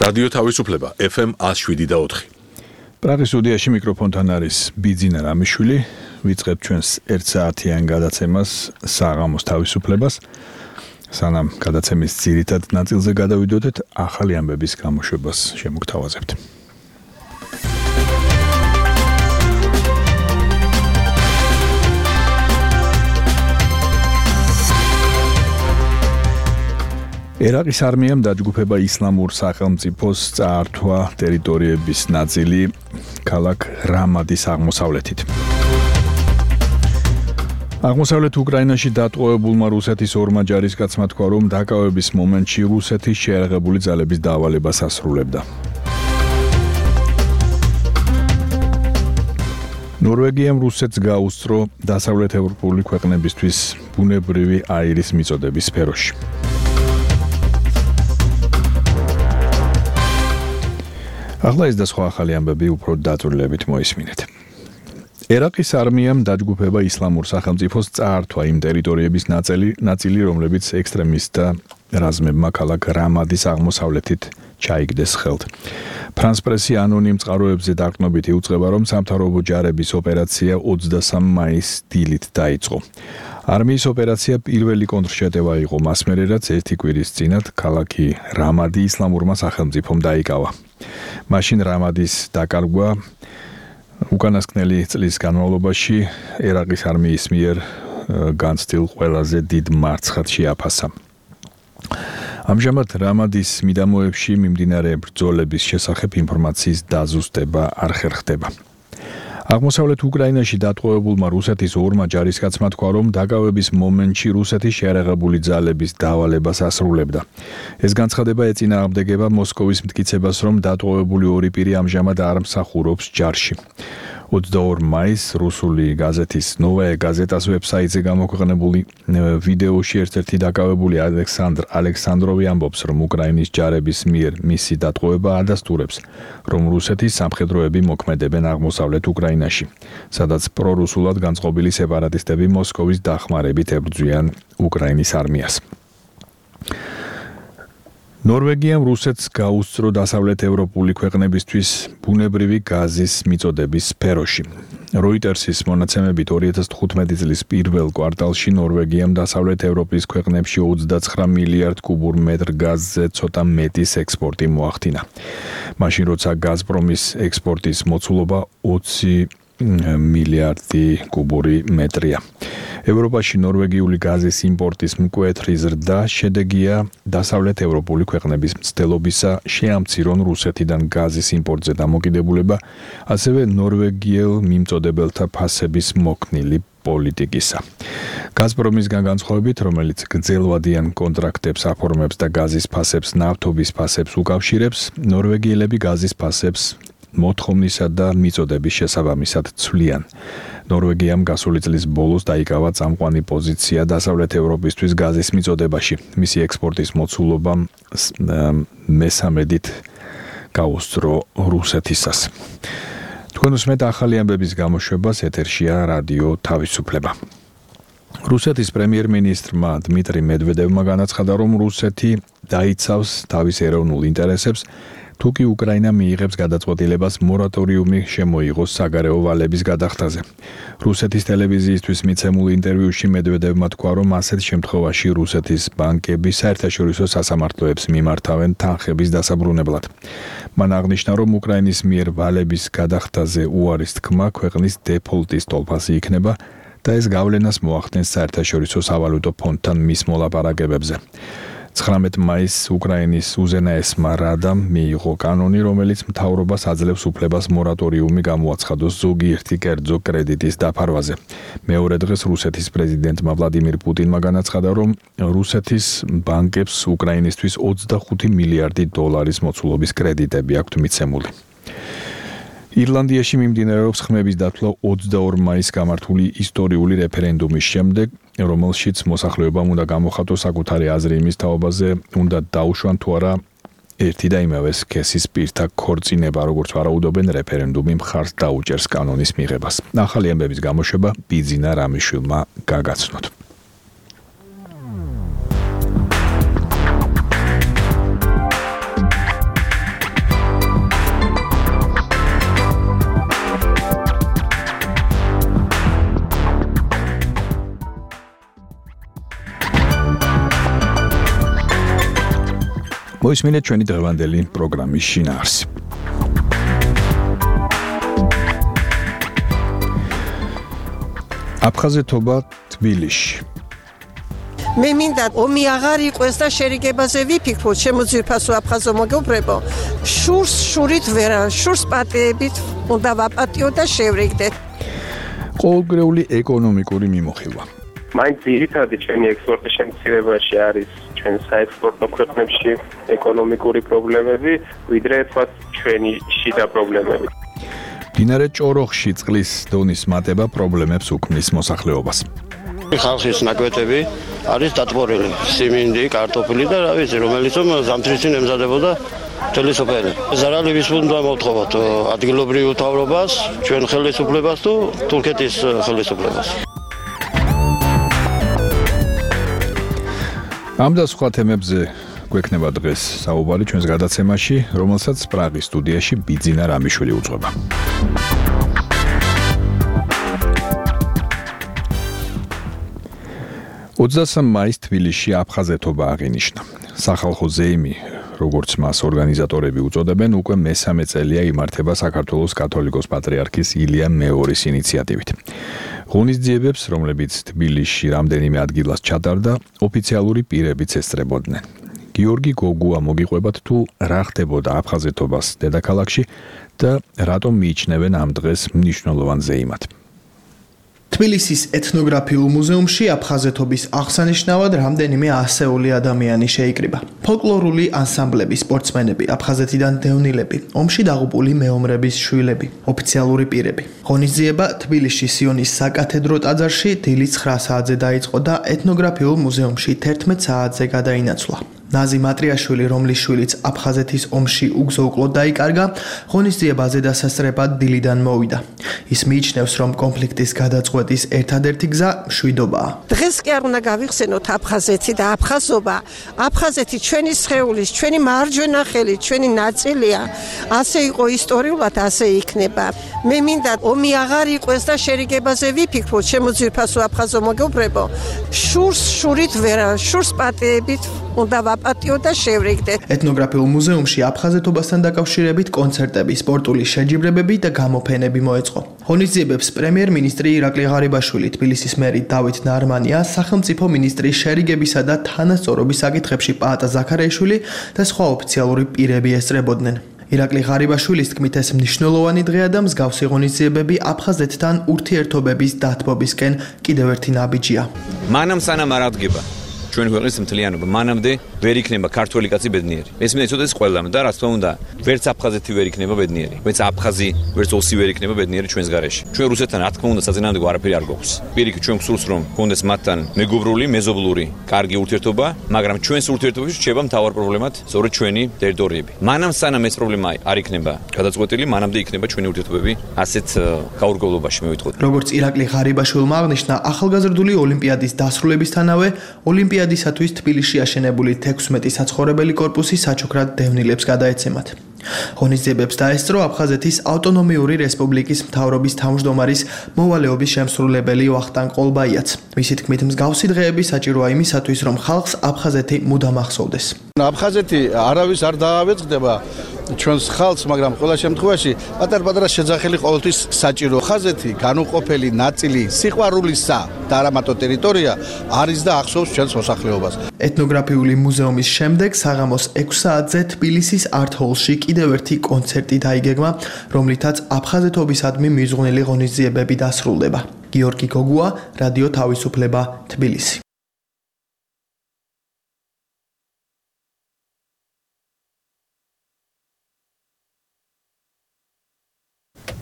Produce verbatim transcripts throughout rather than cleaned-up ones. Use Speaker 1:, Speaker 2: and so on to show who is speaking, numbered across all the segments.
Speaker 1: რადიო თავისუფლება ეფ ემ one oh seven და four.
Speaker 2: პრაღის სტუდიაში მიკროფონთან არის ბიძინა რამიშვილი. ვიწყებთ ჩვენს ერთ საათიან გადაცემას საღამოს თავისუფლებას. სანამ გადაცემის ძირითად ნაწილზე გადავიდოდეთ, ახალი ამბების გამოშვებას შემოგთავაზებთ. ერაყის არმიამ დაჯგუფება ისლამურ სახელმწიფოს წაართვა ტერიტორიების ნაწილი ქალაქ რამადის აღმოსავლეთით. აღმოსავლეთ უკრაინაში დატყვევებულმა რუსეთის ორმა ჯარისკაცმა თქვა, რომ დაკავების მომენტში რუსეთის შეიარაღებული ძალების დავალებას ასრულებდა. ნორვეგიამ რუსეთს გაუსწრო დასავლეთ ევროპული ქვეყნებისთვის ბუნებრივი აირის მიწოდების სფეროში. ახლა ეს და სხვა ახალი ამბები უფრო დაწვრილებით მოისმინეთ. ერაყის არმიამ დაჯგუფება ისლამურ სახელმწიფოს წაართვა იმ ტერიტორიების ნაწილი, ნაწილი, რომლებიც ექსტრემისტთა რაზმებმა ქალაქ რამადის აღმოსავლეთით ჩაიგდეს ხელთ. ფრანს პრესი ანონიმ წყაროებზე დაყრდნობით იუწყება, რომ სამთავრობო ჯარების ოპერაცია ოცდასამ მაისს დილით დაიწყო. არმიის ოპერაცია პირველი კონტრშეტევა იყო მას მერე, რაც ერთი კვირის წინათ ქალაქი რამადი ისლამურმა სახელმწიფომ დაიკავა. მაშინ რამადის დაკარგვა უკანასკნელი წლის განმავლობაში ერაყის არმიის მიერ განცდილ ყველაზე დიდ მარცხად შეაფასა. ამჟამად რამადის მიდამოებში მიმდინარე ბრძოლების შესახებ ინფორმაციის დაზუსტება არ ხერხდება. აღმოსავლეთ უკრაინაში დატყვევებულმა რუსეთის ორმა ჯარისკაცმა თქვა, რომ დაკავების მომენტში რუსეთის შეიარაღებული ძალების დავალებას ასრულებდა. ეს განცხადება ეწინააღმდეგება მოსკოვის მტკიცებას, რომ დატყვევებული ორი პირი ამჟამად არ მსახურობს ჯარში. ოცდაორ მაისს რუსული გაზეთის ნოვაია გაზეტას ვებსაიტზე გამოქვეყნებული ვიდეოში ერთ-ერთი დაკავებული ალექსანდრ ალექსანდროვი ამბობს, რომ უკრაინის ჯარების მიერ მისი დატყვევება ადასტურებს, რომ რუსეთის სამხედროები მოქმედებენ აღმოსავლეთ უკრაინაში, სადაც პრორუსულად განწყობილი სეპარატისტები მოსკოვის დახმარებით ებრძვიან უკრაინის არმიას. ნორვეგიამ რუსეთს გაუსწრო დასავლეთ ევროპული ქვეყნებისთვის ბუნებრივი გაზის მიწოდების სფეროში. როიტერსის მონაცემებით ორი ათას თხუთმეტი წლის პირველ კვარტალში ნორვეგიამ დასავლეთ ევროპის ქვეყნებში ოცდაცხრა მილიარდ კუბურ მეტრ გაზზე ცოტა მეტის ექსპორტი მოახდინა. მაშინ როცა გაზპრომის ექსპორტის მოცულობა ოცი მილიარდი კუბური მეტრია. ევროპაში ნორვეგიული გაზის იმპორტის მკვეთრი ზრდა შედეგია დასავლეთ ევროპული ქვეყნების მცდელობისა შეამცირონ რუსეთიდან გაზის იმპორტზე დამოკიდებულება, ასევე ნორვეგიელ მიმწოდებელთა ფასების მოქნილი პოლიტიკისა. გაზპრომისგან განსხვავებით, რომელიც გრძელვადიან კონტრაქტებს აფორმებს და გაზის ფასებს ნავთობის ფასებს უკავშირებს, ნორვეგიელები გაზის ფასებს მოთხოვნისა და მიწოდების შესაბამისად ცვლიან. ნორვეგიამ გასული წლის ბოლოს დაიკავა წამყვანი პოზიცია დასავლეთ ევროპისთვის გაზის მიწოდებაში. მისი ექსპორტის მოცულობა მესამედით გაუსწრო რუსეთისას. თქვენ უსმენთ ახალი ამბების გამოშვებას, ეთერშია რადიო თავისუფლება. რუსეთის პრემიერ-მინისტრმა დმიტრი მედვედევმა განაცხადა, რომ რუსეთი დაიცავს თავის ეროვნულ ინტერესებს, თუკი უკრაინა მიიღებს გადაწყვეტილებას მორატორიუმი შემოიღოს საგარეო ვალების გადახდაზე. რუსეთის ტელევიზიისთვის მიცემულ ინტერვიუში მედვედევმა თქვა, რომ ასეთ შემთხვევაში რუსეთის ბანკები საერთაშორისო სასამართლოებს მიმართავენ თანხების დასაბრუნებლად. მან აღნიშნა, რომ უკრაინის მიერ ვალების გადახდაზე უარის თქმა ქვეყნის დეფოლტის ტოლფასი იქნება და ეს გავლენას მოახდენს საერთაშორისო სავალუტო ფონდთან მის მოლაპარაკებებზე. ცხრამეტ მაისს უკრაინის უზენაესმა რადამ მიიღო კანონი, რომელიც მთავრობას აძლევს უფლებას მორატორიუმი გამოაცხადოს ზოგიერთი კერძო კრედიტის დაფარვაზე. მეორე დღეს რუსეთის პრეზიდენტმა ვლადიმირ პუტინმა განაცხადა, რომ რუსეთის ბანკებს უკრაინისთვის ოცდახუთი მილიარდი დოლარის მოცულობის კრედიტები აქვთ მიცემული. ირლანდიაში მიმდინარეობს ხმების დათვლა ოცდაორ მაისს გამართული ისტორიული რეფერენდუმის შემდეგ, რომელშიც მოსახლეობამ უნდა გამოხატოს საკუთარი აზრი იმის თაობაზე, უნდა დაუშვან თუ არა ერთი და იმავე სქესის პირთა ქორწინება, როგორც ვარაუდობენ, რეფერენდუმი მხარს დაუჭერს კანონის მიღებას. ახალი ამბების გამოშვება ბიძინა რამიშვილმა გაგაცნოთ. მოისმინეთ ჩვენი დღევანდელი პროგრამის შინაარსი. აფხაზეთობა თბილისში.
Speaker 3: მე მინდა ომი აღარ იყოს და შერიგებაზე ვიფიქროთ, შემოძვირფასო აფხაზო მოგეუბნებო. შურს შურით ვერა, შურს პატიებით უნდა ვაპატიო და შევრიგდეთ.
Speaker 2: ყოველგვარული ეკონომიკური მიმოხილვა.
Speaker 4: მაინც ძირითადი ჩვენი ექსპორტის შემცირებაში არის ჩვენ საექსპორტო ქვეყნებში ეკონომიკური პრობლემები, ვიდრე თქვათ ჩვენი შიდა პრობლემები.
Speaker 2: მდინარე ჭოროხში წყლის დონის მატება პრობლემებს უქმნის მოსახლეობას.
Speaker 5: ხალხის ნაკვეთები არის დატბორილი, სიმინდი, კარტოფილი და რა ვიცი, რომელიც ზამთრის წინ ემზადებოდა მთელი სოფელი. ზარალივის უნდა მოვთხოვოთ ადგილობრივ მთავრობას, ჩვენ ხელისუფლებას თუ თურქეთის ხელისუფლებას.
Speaker 2: ამ და სხვა თემებზე გვექნება დღეს საუბარი ჩვენს გადაცემაში, რომელსაც პრაღის სტუდიაში ბიძინა რამიშვილი უძღვება. ოცდასამ მაისს თბილისში აფხაზეთობა აღინიშნა. სახალხო ზეიმი, როგორც მას ორგანიზატორები უწოდებენ, უკვე მესამე წელია იმართება საქართველოს კათოლიკოს პატრიარქის ილია მეორის ინიციატივით. ღონისძიებებს, რომლებიც თბილისში რამდენიმე ადგილას ჩატარდა, ოფიციალური პირებიც ესწრებოდნენ. გიორგი გოგუა მოგიყვებათ თუ რა ხდებოდა აფხაზეთობას დედაქალაქში და რატომ მიიჩნევენ ამ დღეს მნიშვნელოვან ზეიმად.
Speaker 6: თბილისის ეთნოგრაფიულ მუზეუმში აფხაზეთობის აღსანიშნავად რამდენიმე ასეული ადამიანი შეიკრიბა. ფოლკლორული ანსამბლები, სპორტსმენები, აფხაზეთიდან დევნილები, ომში დაღუპული მეომრების შვილები, ოფიციალური პირები. ღონისძიება თბილისში სიონის საკათედრო ტაძარში დილის ცხრა საათზე დაიწყო და ეთნოგრაფიულ მუზეუმში თერთმეტ საათზე გადაინაცვლა. ნაზი მატრიაშვილი, რომლის შვილიც აფხაზეთის ომში უგზო-უკლოდ დაიკარგა, ღონისძიებაზე დასასწრებად დილიდან მოვიდა. ის მიიჩნევს, რომ კონფლიქტის გადაწყვეტის ერთადერთი გზა მშვიდობაა.
Speaker 3: დღეს კი არ უნდა გავიხსენოთ აფხაზეთი და აფხაზობა. აფხაზეთი ჩვენი სხეულის, ჩვენი მარჯვენა ხელი, ჩვენი ნაწილია. ასე იყო ისტორიულად, ასე იქნება. მე მინდა ომი აღარ იყოს და შერიგებაზე ვიფიქროთ, შემოძვირფასო აფხაზო მოგეუბნებო. შურს შურით ვერა, შურს პატიებით უნდა ვაპატიო და შევრიგდეთ.
Speaker 6: ეთნოგრაფიულ მუზეუმში აფხაზეთობასთან დაკავშირებით კონცერტები, სპორტული შეჯიბრებები და გამოფენები მოეწყო. ღონისძიებებს პრემიერ-მინისტრი ირაკლი ღარიბაშვილი, თბილისის მერი დავით ნარმანია, სახელმწიფო მინისტრი შერიგებისა და თანასწორობის საკითხებში პაატა ზაქარიაშვილი და სხვა ოფიციალური პირები ესწრებოდნენ. ირაკლი ღარიბაშვილის თქმით, ეს მნიშვნელოვანი დღეა და მსგავსი ღონისძიებები აფხაზეთთან ურთიერთობების დათბობისკენ კიდევ ერთი ნაბიჯია.
Speaker 7: მანამ სანამ არ აღდგება ჩვენი ქვეყნის მთლიანობა, მანამდე ვერ იქნება ქართველი კაცი ბედნიერი. ეს მინდა იცოდეს ყველამ და რა თქმა უნდა, ვერც აფხაზეთი ვერ იქნება ბედნიერი, ვერც აფხაზი, ვერც ოსი ვერ იქნება ბედნიერი ჩვენს გარეშე. ჩვენ რუსეთთან რა თქმა უნდა საწინააღმდეგო არაფერი არ გვაქვს. პირიქით ჩვენ გვსურს რომ გქონდეს მათთან მეგობრული, მეზობლური, კარგი ურთიერთობა, მაგრამ ჩვენს ურთიერთობაში რჩება მთავარ პრობლემად სწორედ ჩვენი ტერიტორიები. მანამ სანამ ეს პრობლემა არ იქნება გადაწყვეტილი, მანამდე იქნება ჩვენი ურთიერთობები ასეთ გაურკვევლობაში, მე ვიტყოდი.
Speaker 6: როგორც ირაკლი ღარიბაშვილმა აღნიშნა, ახალგაზრდული ოლიმპიადის დასრულებისთანავე ოლიმპიადისათვის თბილისში აშენებული თექვსმეტი საცხოვრებელი კორპუსი საჩუქრად დევნილებს გადაეცემათ. ღონისძიებებს დაესწრო აფხაზეთის ავტონომიური რესპუბლიკის მთავრობის თავმჯდომარის მოვალეობის შემსრულებელი ვახტანგ ყოლბაიაც. მისი თქმით, მსგავსი დღეები საჭიროა იმისათვის, რომ ხალხს აფხაზეთი მუდამ ახსოვდეს.
Speaker 8: აფხაზეთი არავის არ დაავეწყდება ჩვენს ხალხს, მაგრამ ყველა შემთხვევაში პატარ-პატარა შეძახილი ყოველთვის საჭირო. აფხაზეთი განუყოფელი ნაწილი სიყვარულისა და არამატო ტერიტორია არის და ახსოვს ჩვენს მოსახლეობას.
Speaker 6: ეთნოგრაფიული მუზეუმის შემდეგ საღამოს ექვს საათზე თბილისის არტ-ჰოლში კიდევ ერთი კონცერტი დაიგეგმა, რომლითაც აფხაზეთობისადმი მიზღვნილი ღონისძიებები დასრულდება. გიორგი გოგუა, რადიო თავისუფლება, თბილისი.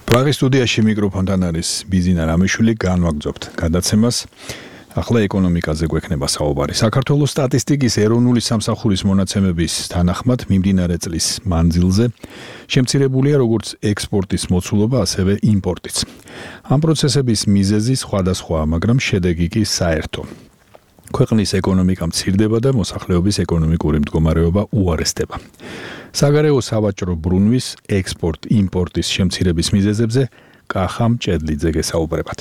Speaker 2: პრაღის სტუდიაში მიკროფონთან არის ბიძინა რამიშვილი, განვაგრძობთ გადაცემას. ახლა ეკონომიკაზე გვექნება საუბარი. საქართველოს სტატისტიკის ეროვნული სამსახურის მონაცემების თანახმად მიმდინარე წლის მანძილზე შემცირებულია როგორც ექსპორტის მოცულობა, ასევე იმპორტიც. ამ პროცესების მიზეზი სხვადასხვაა, მაგრამ შედეგი კი საერთო. ქვეყნის ეკონომიკა მცირდება და მოსახლეობის ეკონომიკური მდგომარეობა უარესდება. საგარეო სავაჭრო ბრუნვის ექსპორტ-იმპორტის შემცირების მიზეზებზე კახა მჭედლიძე გესაუბრებათ.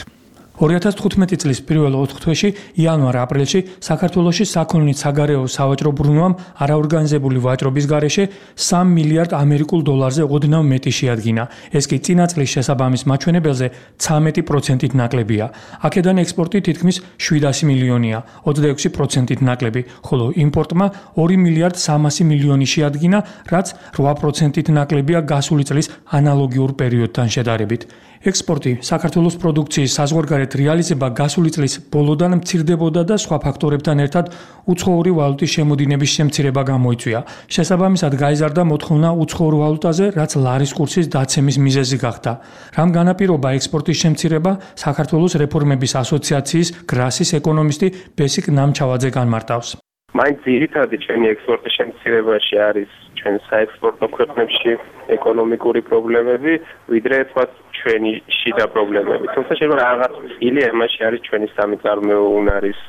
Speaker 9: ორი ათას თხუთმეტი წლის პირველ ოთხ თვეში იანვარ-აპრილში საქართველოში საქონლით საგარეო სავაჭრო ბრუნვამ არაორგანიზებული ვაჭრობის გარეშე სამი მილიარდ ამერიკულ დოლარზე ოდნავ მეტი შეადგინა. ეს კი წინა წლის შესაბამის მაჩვენებელზე ცამეტი პროცენტით ნაკლებია. აქედან ექსპორტი თითქმის შვიდასი მილიონია, ოცდაექვსი პროცენტით ნაკლები, ხოლო იმპორტმა ორი მილიარდ სამასი მილიონი შეადგინა, რაც რვა პროცენტით ნაკლებია გასული წლის ანალოგიურ პერიოდთან შედარებით. ექსპორტი საქართველოს პროდუქციის საზღვარგარეთ რეალიზება გასული წლის ბოლოდან მცირდებოდა და სხვა ფაქტორებთან ერთად უცხოური ვალუტის შემოდინების შემცირება გამოიწვია. შესაბამისად გაიზარდა მოთხოვნა უცხოურ ვალუტაზე, რაც ლარის კურსის დაცემის მიზეზი გახდა. რამ განაპირობა ექსპორტის შემცირება, საქართველოს რეფორმების ასოციაციის გრასის ეკონომისტი ბესიკ ნამჩავაძე განმარტავს.
Speaker 4: მაინც ძირითადი ჩემი ექსპორტის შემცირებაში არის ჩვენ საექსპორტო ქვეყნებში ეკონომიკური პრობლემები, ვიდრე თქვათ ჩვენი შიდა პრობლემები. თუმცა შეიძლება რაღაც წილი ამაში არის ჩვენი სამიწარმოო უნარის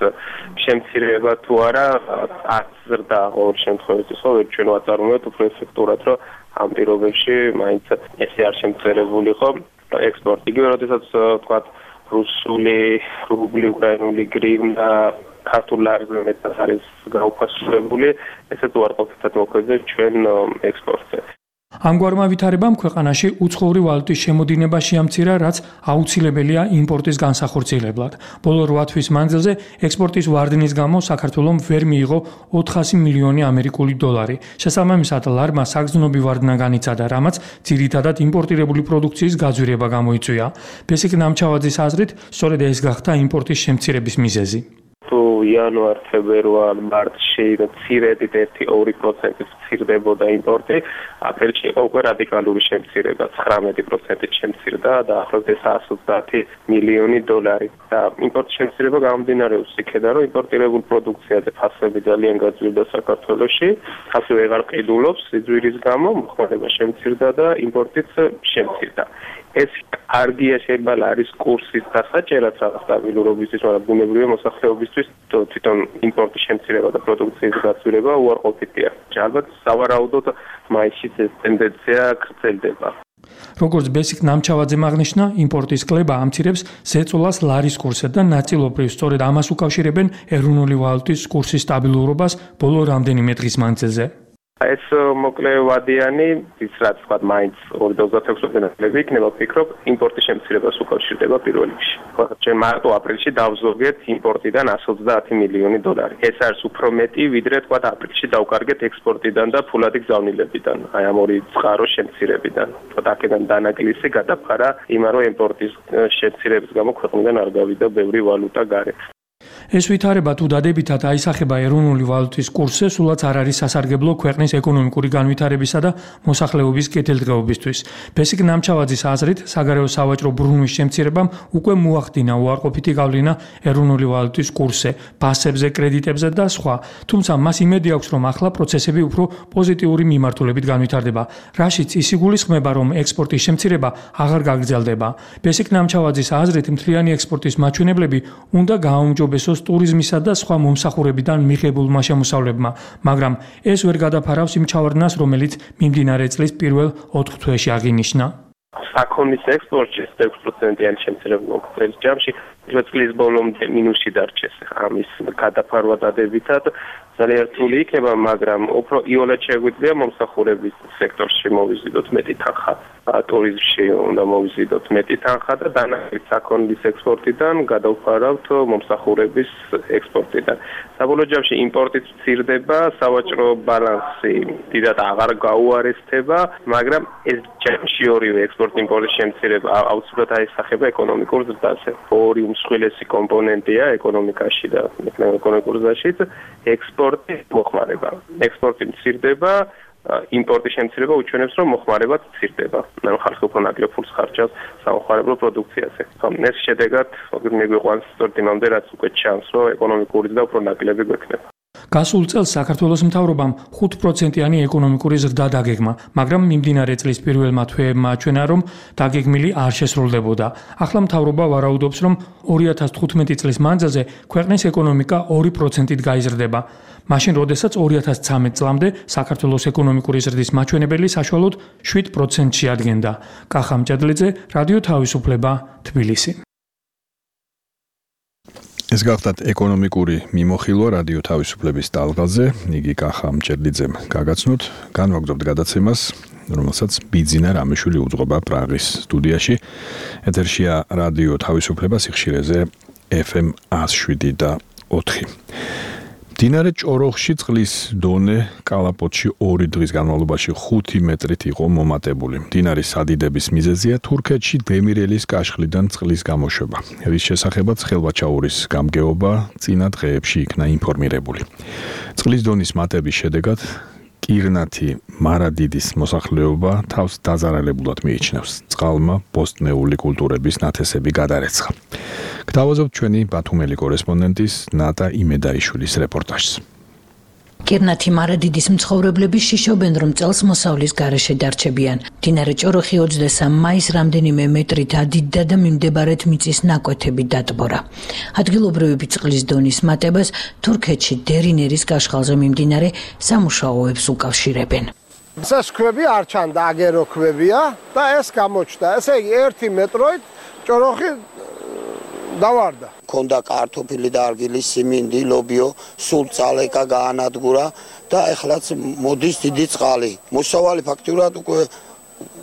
Speaker 4: შემცირება თუ არა, აზრდა ყოველ შემთხვევაში, ხო, ჩვენ ვაწარმოებთ უფრო ეფექტურად, რომ ამ პირობებში მაინც ესე არ შემცირებული ხო ექსპორტი. იგივე როდესაც თქვათ რუსული, რუბლი, უკრაინული გრივნა ქართულ ლარზე მეტად არის გაუფასებული, ესეც უარყოფითად მოქმედებს ჩვენ ექსპორტზე.
Speaker 9: ამგვარმა ვითარებამ ქვეყანაში უცხოური ვალუტის შემოდინება შეამცირა, რაც აუცილებელია იმპორტის განსახორციელებლად. ბოლო რვა თვის მანძილზე ექსპორტის ვარდნის გამო საქართველომ ვერ მიიღო ოთხასი მილიონი ამერიკული დოლარი. შესაბამისად, ლარმა საგრძნობი ვარდნა განიცადა, რამაც ძირითადად იმპორტირებული პროდუქციის გაძვირება გამოიწვია. ბესიკ ნამჩავაძის აზრით, სწორედ ეს გახდა იმპორტის შემცირების მიზეზი.
Speaker 4: თუ იანვარ, თებერვალ, მარტში მცირედით ერთი ორი პროცენტით მცირდებოდა იმპორტი, აპრილში იყო უკვე რადიკალური შემცირება, ცხრამეტი პროცენტით შემცირდა და ახლავს εκατს ოცდაათი მილიონი დოლარი. და იმპორტის შემცირება გამომდინარეობს იქედან, რომ იმპორტირებულ პროდუქციაზე ფასები ძალიან გაძვირდა საქართველოში, ასე ვეღარ ყიდულობს სიძვირის გამო, მოხმარება შემცირდა და იმპორტიც შემცირდა. ეს კარგია შეიძლება ლარის კურსის დასაჭერად რაღაც სტაბილურობისთვის, მაგრამ ბუნებრივია მოსახლეობისთვის თვითონ იმპორტის შემცირება და პროდუქციის გაცვლილება უარყოფითია. ალბათ სავარაუდოდ მაისში ეს ტენდენცია გრძელდება.
Speaker 9: როგორც ბესიკ ნამჩავაძემ აღნიშნა, იმპორტის კლება ამცირებს ზეწოლას ლარის კურსზე და ნაწილობრივ სწორედ ამას უკავშირებენ ეროვნული ვალუტის კურსის სტაბილურობას ბოლო რამდენიმე დღის მანძილზე.
Speaker 4: ეს მოკლე ვადიანი, ის რაც თქვა მაინც ორი ათას ოცდაექვსი წლები იქნება, ვფიქრობ, იმპორტის შემცირებას უკავშირდება პირველ რიგში. ჩვენ მარტო აპრილში დავზოგეთ იმპორტიდან εκατს ოცდაათი მილიონი დოლარი. ეს არის უფრო მეტი, ვიდრე თქვა აპრილში დავკარგეთ ექსპორტიდან და ფულადი გზავნილებიდან, აი ამ ორი წყაროს შემცირებიდან. თქვა აქედან დანაკლისი გადაფარა იმან, რომ იმპორტის შემცირების გამო ქვეყნიდან არ გავიდა ბევრი ვალუტა გარეთ.
Speaker 9: ეს ვითარება თუ დადებითად აისახება ეროვნული ვალუტის კურსზე, სულაც არ არის სასარგებლო ქვეყნის ეკონომიკური განვითარებისა და მოსახლეობის კეთილდღეობისთვის. ბესიკ ნამჩავაძის აზრით, საგარეო სავაჭრო ბრუნვის შემცირებამ უკვე მოახდინა უარყოფითი გავლენა ეროვნული ვალუტის კურსზე, ფასებზე, კრედიტებზე და სხვა. თუმცა მას იმედი აქვს, რომ ახლა პროცესები უფრო პოზიტიური მიმართულებით განვითარდება, რაშიც ის იგულისხმება, რომ ექსპორტის შემცირება აღარ გაგრძელდება. ბესიკ ნამჩავაძის აზრით, მთლიანი ექსპორტის მაჩვენებლები უნდა გააუმჯობესოს ტურიზმისა და სხვა მომსახურებიდან მიღებულმა შემოსავლებმა, მაგრამ ეს ვერ გადაფარავს იმ ჩავარდნას, რომელიც მიმდინარე წლის პირველ ოთხ თვეში აღინიშნა.
Speaker 4: საქონლის ექსპორტში ექვსი პროცენტიანი შემცირება მოხდეს ჯამში, წლის ბოლომდე მინუსში დარჩეს. ამის გადაფარვა დადებითად ძალიან რთული იქნება, მაგრამ უფრო იოლად შეგვიძლია მომსახურების სექტორში მოვიზიდოთ მეტი თანხა, ტურიზმში უნდა მოვიზიდოთ მეტი თანხა და დანაკლით საქონლის ექსპორტიდან გადავფარავთ მომსახურების ექსპორტიდან. საბოლოო ჯამში იმპორტიც მცირდება, სავაჭრო ბალანსი დიდად აღარ გაუარესდება, მაგრამ ეს ჯამში ორივე ექსპორტ-იმპორტის შემცირება აუცილებლად აისახება ეკონომიკურ ზრდაზე. ორი უმსხვილესი კომპონენტია ეკონომიკაში და ეკონომიკურ ზრდაშიც ექსპორტი მოხმარება. ექსპორტი მცირდება, იმპორტის შემცირება უჩვენებს, რომ მოხმარებაც მცირდება. ანუ ხალხი უფრო ნაკლებ ფულს ხარჯავს სამოხმარებლო პროდუქციაზე. ეს შედეგად მიგვიყვანს სწორედ იმამდე, რაც უკვე ჩანს, რომ ეკონომიკური ზრდა უფრო ნაკლები გვექნება.
Speaker 9: გასულ წელს საქართველოს მთავრობამ ხუთ პროცენტიანი ეკონომიკური ზრდა დაგეგმა, მაგრამ მიმდინარე წლის პირველმა თვეებმა აჩვენა, რომ დაგეგმილი არ შესრულდებოდა. ახლა მთავრობა ვარაუდობს, რომ ორი ათას თხუთმეტი წლის მანძილზე ქვეყნის ეკონომიკა ორი პროცენტით გაიზრდება. მაშინ, როდესაც ორი ათას ცამეტ წლამდე საქართველოს ეკონომიკური ზრდის მაჩვენებელი საშუალოდ შვიდ პროცენტს შეადგენდა. კახა მჭედლიძე, რადიო თავისუფლება, თბილისი.
Speaker 2: ეს გახდათ ეკონომიკური მიმოხილვა რადიო თავისუფლების ტალღაზე. იგი კახა მჭედლიძემ გაგაცნოთ. განვაგრძობთ გადაცემას, რომელსაც ბიძინა რამიშვილი უძღვება პრაღის სტუდიაში. ეთერშია რადიო თავისუფლება სიხშირეზე ეფ ემ ას შვიდი და ოთხი. მდინარე ჭოროხში წყლის დონე კალაპოტში ორი დღის განმავლობაში ხუთი მეტრით იყო მომატებული. მდინარის სადიდების მიზეზია თურქეთში დემირელის კაშხლიდან წყლის გამოშვება. რის შესახებაც ხელვაჩაურის გამგეობა წინა დღეებში იქნა ინფორმირებული. წყლის დონის მატების შედეგად კირნათი მარადიდის მოსახლეობა თავს დაზარალებულად მიიჩნევს. წყალმა ბოსტნეული კულტურების ნათესები გადარეცხა. გთავაზობთ ჩვენი ბათუმელი კორესპონდენტის ნატა იმედაიშვილის რეპორტაჟს.
Speaker 10: კირნათი მარადიდის მცხოვრებლები შიშობენ, რომ წელს მოსავლის გარეშე დარჩებიან. მდინარე ჭოროხი ოცდასამი მაისს რამდენიმე მეტრით ადიდდა და მიმდებარედ მიწის ნაკვეთები დატბორა. ადგილობრივები წყლის დონის მატებას თურქეთში დერინერის კაშხალზე მიმდინარე სამუშაოებს უკავშირებენ.
Speaker 11: ეს ქვები არ ჩანდა, აგერო ქვებია და ეს გამოჩნდა. ესე იგი ერთი მეტროით ჭოროხი დავარდა.
Speaker 12: ქონდა კარტოფილი და არგილი, სიმინდი, ლობიო, სულ წალეკა გაანადგურა და ეხლაც მოდის დიდი წყალი. მოსავალი ფაქტურად უკვე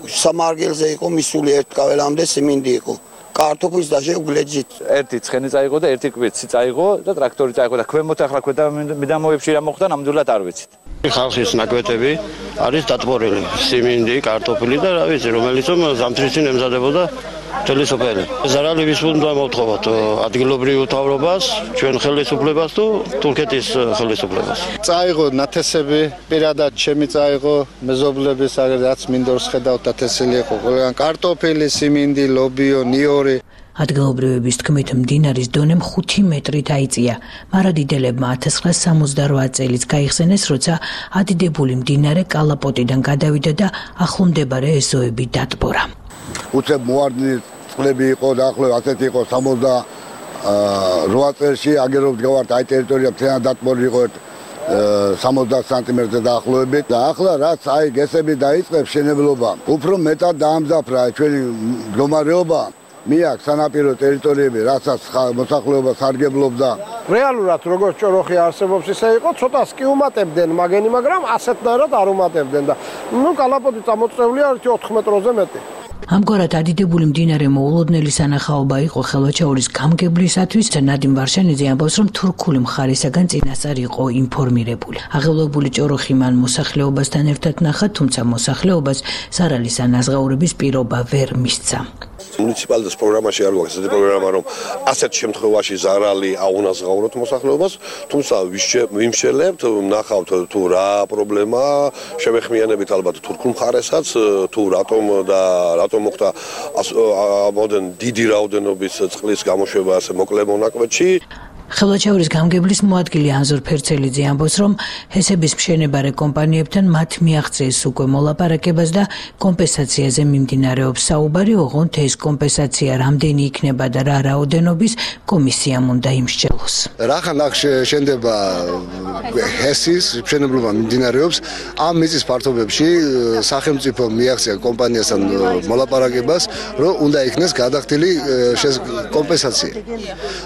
Speaker 12: სამარგელზე იყო მისული ერთ კაველამდე სიმინდი იყო. კარტოფილის და შეგვლეჯით.
Speaker 7: ერთი ცხენი წაიღო და ერთი კვიცი წაიღო და ტრაქტორი წაიღო და ქვემოთ ახლა ქვედა მიდამოებში რა მოხდა, ნამდვილად არ ვიცით.
Speaker 5: ხალხის ნაკვეთები არის დატბორილი, სიმინდი, კარტოფილი და რა ვიცი, რომელიც ზამთრისინ ემზადებოდა მთელი სოფელი. ზარალი ვის უნდა მოვთხოვოთ, ადგილობრივ მთავრობას, ჩვენ ხელისუფლებას თუ თურქეთის ხელისუფლებას.
Speaker 8: წაიღო ნათესები, პირადად ჩემი წაიღო, მეზობლების რაც მინდორს ხედავთ ნათესილი იყო, ყველგან კარტოფილი, სიმინდი, ლობიო, ნიორი.
Speaker 10: ადგილობრივების თქმით, მდინარის დონემ ხუთი მეტრით აიწია. მარადიდებლებმა ათას ცხრაასა სამოცდაოთხ წელს გაიხსენეს, როცა ადიდებული მდინარე კალაპოტიდან გადავიდა და ახლომდებარე ეზოები დატბორა.
Speaker 13: უცებ მოარდნი წყლები იყო და ახლო ასეთი იყო სამოცდაოთხ წელში აგერობთ გავართ აი ტერიტორია მთლიანად დატბორილი იყო სამოცდაათი სანტიმეტრზე დაახლოებით და ახლა რაც აი გესები დაიწყებს შენებლობა უფრო მეტად დაამძაფრა ჩვენი მდგომარეობა მიაქ სანაპირო ტერიტორიები რასაც მოსახლეობა სარგებლობდა
Speaker 11: რეალურად როგორც ჭოროხი არსებობს ისე იყო ცოტას კი უმატებდნენ მაგენი მაგრამ ასეთნაირად არ უმატებდნენ და ნუ კალაპოტი წამოწევლია ოთხ მეტროზე მეტი.
Speaker 10: ამგვარად ადიდებული მდინარე მოულოდნელი სანახაობა იყო ხელვაჩაურის გამგებლისათვის. ნადიმ ვარშანიძე ამბობს, რომ თურქული მხარისაგან წინასწარ იყო ინფორმირებული. აღელვებული ჭოროხი მან მოსახლეობასთან ერთად ნახა, თუმცა მოსახლეობას ზარალის ან აზღაურების პირობა ვერ მისცა.
Speaker 14: მუნიციპალიტეტის პროგრამაში არ გვაქვს ესეთი პროგრამა, რომ ასეთ შემთხვევაში ზარალი აუნაზღაუროთ მოსახლეობას, თუმცა ვიმშელებთ, ნახავთ თუ რა პრობლემა, შევეხმიანებით ალბათ თურქულ მხარესაც, თუ რატომ და რატომ მოხდა ამოდენ დიდი რაოდენობის წყლის გამოშვება ასე მოკლე მონაკვეთში.
Speaker 10: ხელვაჩაურის გამგებლის მოადგილე ანზორ ფერცელიძე ამბობს, რომ ჰესების მშენებარე კომპანიებთან მათ მიაღწიეს უკვე მოლაპარაკებას და კომპენსაციაზე მიმდინარეობს საუბარი, ოღონდ ეს კომპენსაცია რამდენი იქნება და რა რაოდენობის კომისიამ უნდა იმსჯელოს.
Speaker 13: რახან აქ შენდება ჰესის მშენებლობა მიმდინარეობს, ამ მიწის ფართობებში სახელმწიფო მიაღწია კომპანიასთან მოლაპარაკებას, რომ უნდა იქნეს გადახდილი კომპენსაცია.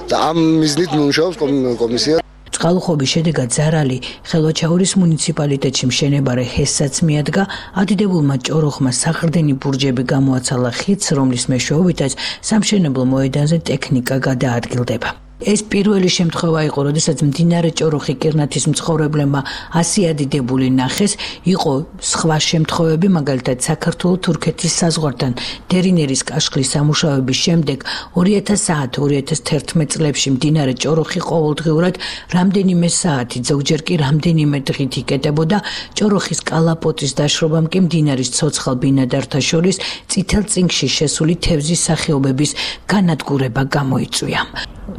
Speaker 13: და ამ მიზნით მუშაობს კომისია.
Speaker 10: წყალუხობის შედეგად ზარალი ხელვაჩაურის მუნიციპალიტეტში მშენებარე ჰესსაც მიადგა. ადიდებულმა ჭოროხმა საყრდენი ბურჯები გამოაცალა ხიდს, რომლის მეშვეობითაც სამშენებლო მოედანზე ტექნიკა გადაადგილდება. ეს პირველი შემთხვევა იყო, როდესაც მდინარე ჭოროხი კირნათის მცხოვრებლებმა ასი ადიდებული ნახეს. იყო სხვა შემთხვევები, მაგალითად საქართველო-თურქეთის საზღვართან დერინერის კაშხლის სამუშაოების შემდეგ ორი ათას ათი ორი ათას თერთმეტ წლებში მდინარე ჭოროხი ყოველდღიურად რამდენიმე საათი, ზოგჯერ კი რამდენიმე დღით იკეტებოდა. ჭოროხის კალაპოტის დაშრობამ კი მდინარის ცოცხალ ბინადართა შორის წითელ წინგში შესული თევზის სახეობების განადგურება გამოიწვია.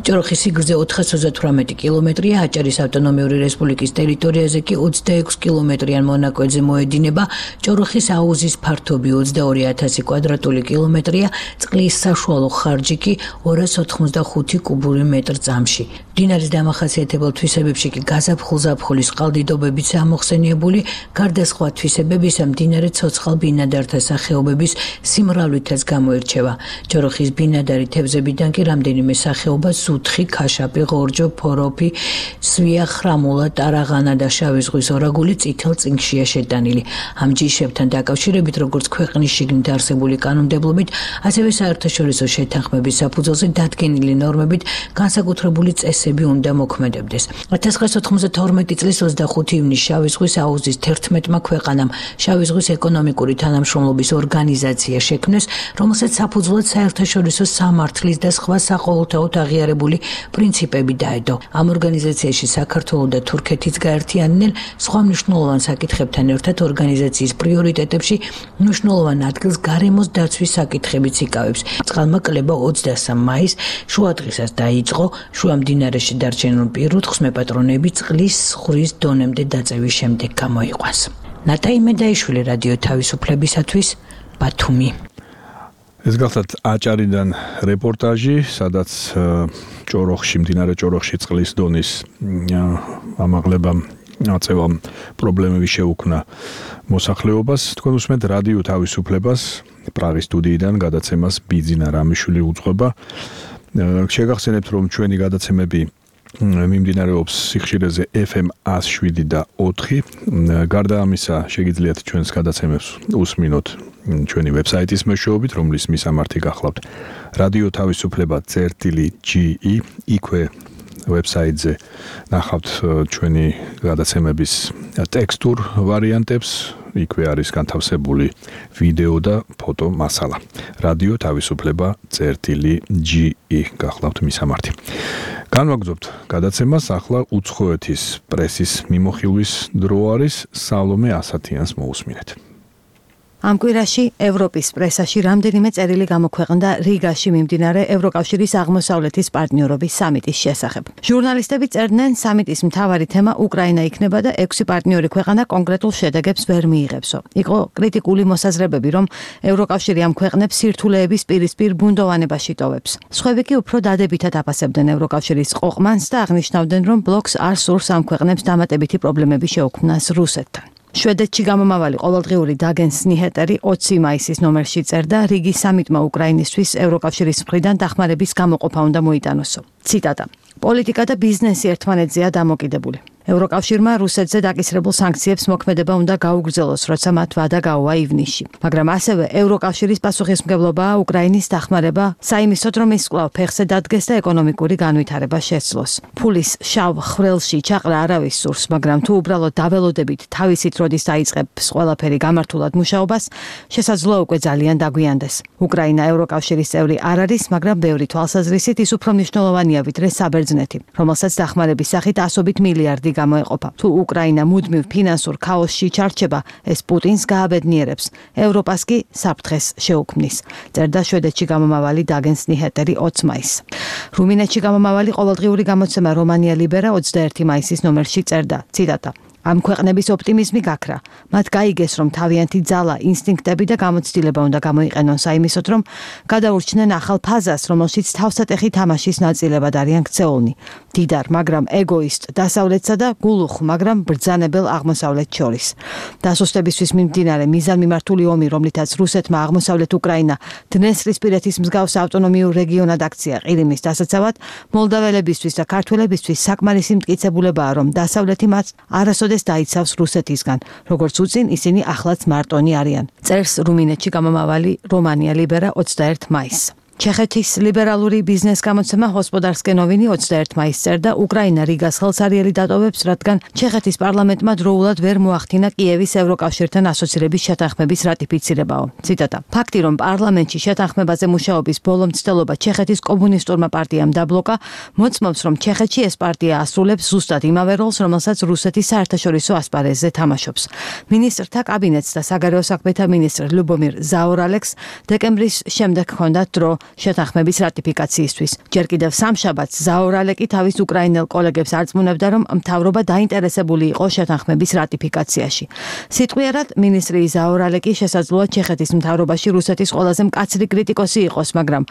Speaker 10: ჭოროხის სიგრძე ოთხას ოცდათვრამეტი კილომეტრია, აჭარის ავტონომიური რესპუბლიკის ტერიტორიაზე კი ოცდაექვსი კილომეტრიან მონაკვეთზე მოედინება. ჭოროხის აუზის ფართობი ოცდაორი ათასი კვადრატული კილომეტრია, წყლის საშუალო ხარჯი კი ორას ოთხმოცდახუთი კუბური მეტრ წამში. მდინარის დამახასიათებელ თვისებებში კი გაზაფხულ-ზაფხულის წყალდიდობებიც ამოხსენიებული, გარდა სხვა თვისებებისა მდინარე ცოცხალ ბინადართა სახეობების სიმრავლითაც გამოირჩევა. ჭოროხის ბინადარი თევზებიდან კი რამდენიმე სახეობა სუთხი თიხი, ქაშაპი, ღორჯო, ფოროფი, სვია, ხრამულა, ტარაღანა და შავი ზღვის ორაგული წითელ წიგნშია შეტანილი. ამ ჯიშებთან დაკავშირებით როგორც ქვეყნის შიგნით არსებული კანონმდებლობით, ასევე საერთაშორისო შეთანხმების საფუძველზე დადგენილი ნორმებით განსაკუთრებული წესები უნდა მოქმედებდეს. ათას ცხრაასი ოთხმოცდათორმეტი წლის ოცდახუთი ივნისს შავი ზღვის აუზის თერთმეტმა ქვეყანამ შავი ზღვის ეკონომიკური თანამშრომლობის ორგანიზაცია შექმნეს, რომელსაც საფუძვლად საერთაშორისო სამართლის და სხვა საყოველთაოდ აღიარებული პრინციპები დაედო. ამ ორგანიზაციაში საქართველო და თურქეთიც გაერთიანდნენ, სხვა მნიშვნელოვან საკითხებთან ერთად ორგანიზაციის პრიორიტეტებში მნიშვნელოვან ადგილს გარემოს დაცვის საკითხებიც იკავებს. წყალმა კლება ოცდასამ მაისს შუადღისას დაიწყო, შუამდინარეში დარჩენილ პირუტყვს მეპატრონები წყლის ზღვრის დონემდე დაწევის შემდეგ გამოიყვანს. ნატაი მედაიშვილი, რადიო თავისუფლებისათვის, ბათუმი.
Speaker 2: ეს გახლავთ აჭარიდან რეპორტაჟი, სადაც ჭოროხში, მდინარე ჭოროხში წყლის დონის ამაღლებამ აწევამ პრობლემები შეუქმნა მოსახლეობას. თქვენ უსმენთ რადიო თავისუფლებას, პრაღის სტუდიიდან გადაცემას ბიძინა რამიშვილი უძღვება. შეგახსენებთ, რომ ჩვენი გადაცემები მიმდინარეობს სიხშირეზე ეფ ემ ათს შვიდი და ოთხი. გარდა ამისა, შეგიძლიათ ჩვენს გადაცემებს უსმინოთ ჩვენი ვებსაიტის მეშვეობით, რომლის მისამართი გახლავთ რადიო თავისუფლება წერტილი ჯი ი. იქვე ვებსაიტზე ნახავთ ჩვენი გადაცემების ტექსტურ ვარიანტებს, იქვე არის განთავსებული ვიდეო და ფოტო მასალა. რადიო თავისუფლება წერტილი ჯი ი გახლავთ მისამართი. განვაგრძობთ გადაცემას, ახლა უცხოეთის პრესის მიმოხილვის დრო არის, სალომე ასათიანს მოусმინეთ.
Speaker 15: ამ კვირაში ევროპის პრესაში რამდენიმე წერილი გამოქვეყნდა რიგაში მიმდინარე ევროკავშირის აღმოსავლეთის პარტნიორობის სამიტის შესახებ. ჟურნალისტები წერდნენ, სამიტის მთავარი თემა უკრაინა იქნება და ექვსი პარტნიორი ქვეყანა კონკრეტულ შედეგებს ვერ მიიღებსო. იყო კრიტიკული მოსაზრებები, რომ ევროკავშირი ამ ქვეყნებს სირთულეების პირისპირ ბუნდოვანებაში ტოვებს. სხვები კი უფრო დადებითად აფასებდნენ ევროკავშირის ყოყმანს და აღნიშნავდნენ, რომ ბლოკს არ სურს ამ ქვეყნებს დამატებითი პრობლემები შეუქმნას რუსეთთან. შვედეთში გამომავალი ყოველდღიური დაგენს ნიჰეტერი ოცი მაისის ნომერში წერდა, რიგი სამიტმა უკრაინისთვის ევროკავშირის მხრიდან დახმარების გამოყოფა უნდა მოიტანოსო. ციტატა: პოლიტიკა და ბიზნესი ერთმანეთზეა დამოკიდებული. ევროკავშირმა რუსეთზე დაკისრებულ სანქციებს მოქმედება უნდა გაუგრძელოს, როცა მათ ვადა გაუვა ივნისში. მაგრამ ასევე ევროკავშირის პასუხისმგებლობაა უკრაინის დახმარება, საიმისოდ რომ ის კვლავ ფეხზე დადგეს და ეკონომიკური განვითარება შეცვლოს. ფულის შავ ხვრელში ჩაყრა არავის სურს, მაგრამ თუ უბრალოდ დაველოდებით თავისით როდის დაიწყებს ყველაფერი გამართულად მუშაობას, შესაძლოა უკვე ძალიან დაგვიანდეს. უკრაინა ევროკავშირის წევრი არ არის, მაგრამ ბევრი თვალსაზრისით ის უფრო მნიშვნელოვანია ვიდრე საბერძნეთი, რომელსაც დახმარების სახით ასობით მილიარდი გამოეყოფა. თუ უკრაინა მუდმივ ფინანსურ ქაოსში ჩარჩება, ეს პუტინს გააბედნიერებს, ევროპას კი საფრთხეს შეუქმნის. წერდა შვედეთში გამომავალი დაგენს ნიჰეტერი ოცი მაისს. რუმინეთში გამომავალი ყოველდღიური გამოცემა რომანია ლიბერა ოცდაერთი მაისის ნომერში წერდა, ციტატა: ამ ქვეყნების ოპტიმიზმი გაქრა. მათ გაიგეს, რომ თავიანთი ძალა, ინსტინქტები და გამოცდილება უნდა გამოიყენონ საიმისოდ, რომ გადაურჩნენ ახალ ფაზას, რომელშიც თავსატეხი თამაშის ნაწილებად არიან ქცეულნი. დიდარ, მაგრამ ეგოისტ დასავლეთსა და გულუხ, მაგრამ ბრძანებელ აღმოსავლეთს შორის. დასუსტებისთვის მიმდინარე მიზანმიმართული ომი, რომლითაც რუსეთმა აღმოსავლეთ უკრაინა დნესტრისპირეთის მსგავს ავტონომიურ რეგიონად აქცია ყირიმის დასაცავად, მოლდაველებისთვის და ქართველებისთვის საკმარისი მტკიცებულებაა, რომ დასავლეთი მათ არასოდეს დაიცავს რუსეთისგან, როგორც უწინ ისინი ახლაც მარტონი არიან. წერს რუმინეთში გამომავალი რომანია ლიბერა ოცდაერთი მაისს. ჩეხეთის ლიბერალური ბიზნეს გამოცემა ჰოსპოდარსკე ნოვინი ოცდაერთი მაისს წერდა, უკრაინა რიგას ხელსარიელი დატოვებს, რადგან ჩეხეთის პარლამენტმა დროულად ვერ მოახდინა კიევის ევროკავშირთან ასოცირების შეთანხმების რატიფიცირებაო. ციტატა: ფაქტი, რომ პარლამენტში შეთანხმებაზე მუშაობის ბოლო მცდელობა ჩეხეთის კომუნისტურმა პარტიამ დაბლოკა, მოწმობს, რომ ჩეხეთში ეს პარტია ასრულებს ზუსტად იმავე როლს, რომელსაც რუსეთის საერთაშორისო ასპარეზზე თამაშობს. მინისტრთა კაბინეტს და საგარეო საქმეთა მინისტრ ლუბომირ ზაორალექს დეკემბრის შემდეგ ჰქონდათ დრო შეთანხმების რატიფიკაციისთვის. ჯერ კიდევ სამშაბათს ზაორალეკი თავის უკრაინელ კოლეგებს არწმუნებდა, რომ მთავრობა დაინტერესებული იყო შეთანხმების რატიფიკაციაში. სიტყვიერად, მინისტრი ზაორალეკი შესაძლოა ჩეხეთის მთავრობაში რუსეთის ყველაზე მკაცრი კრიტიკოსი იყოს, მაგრამ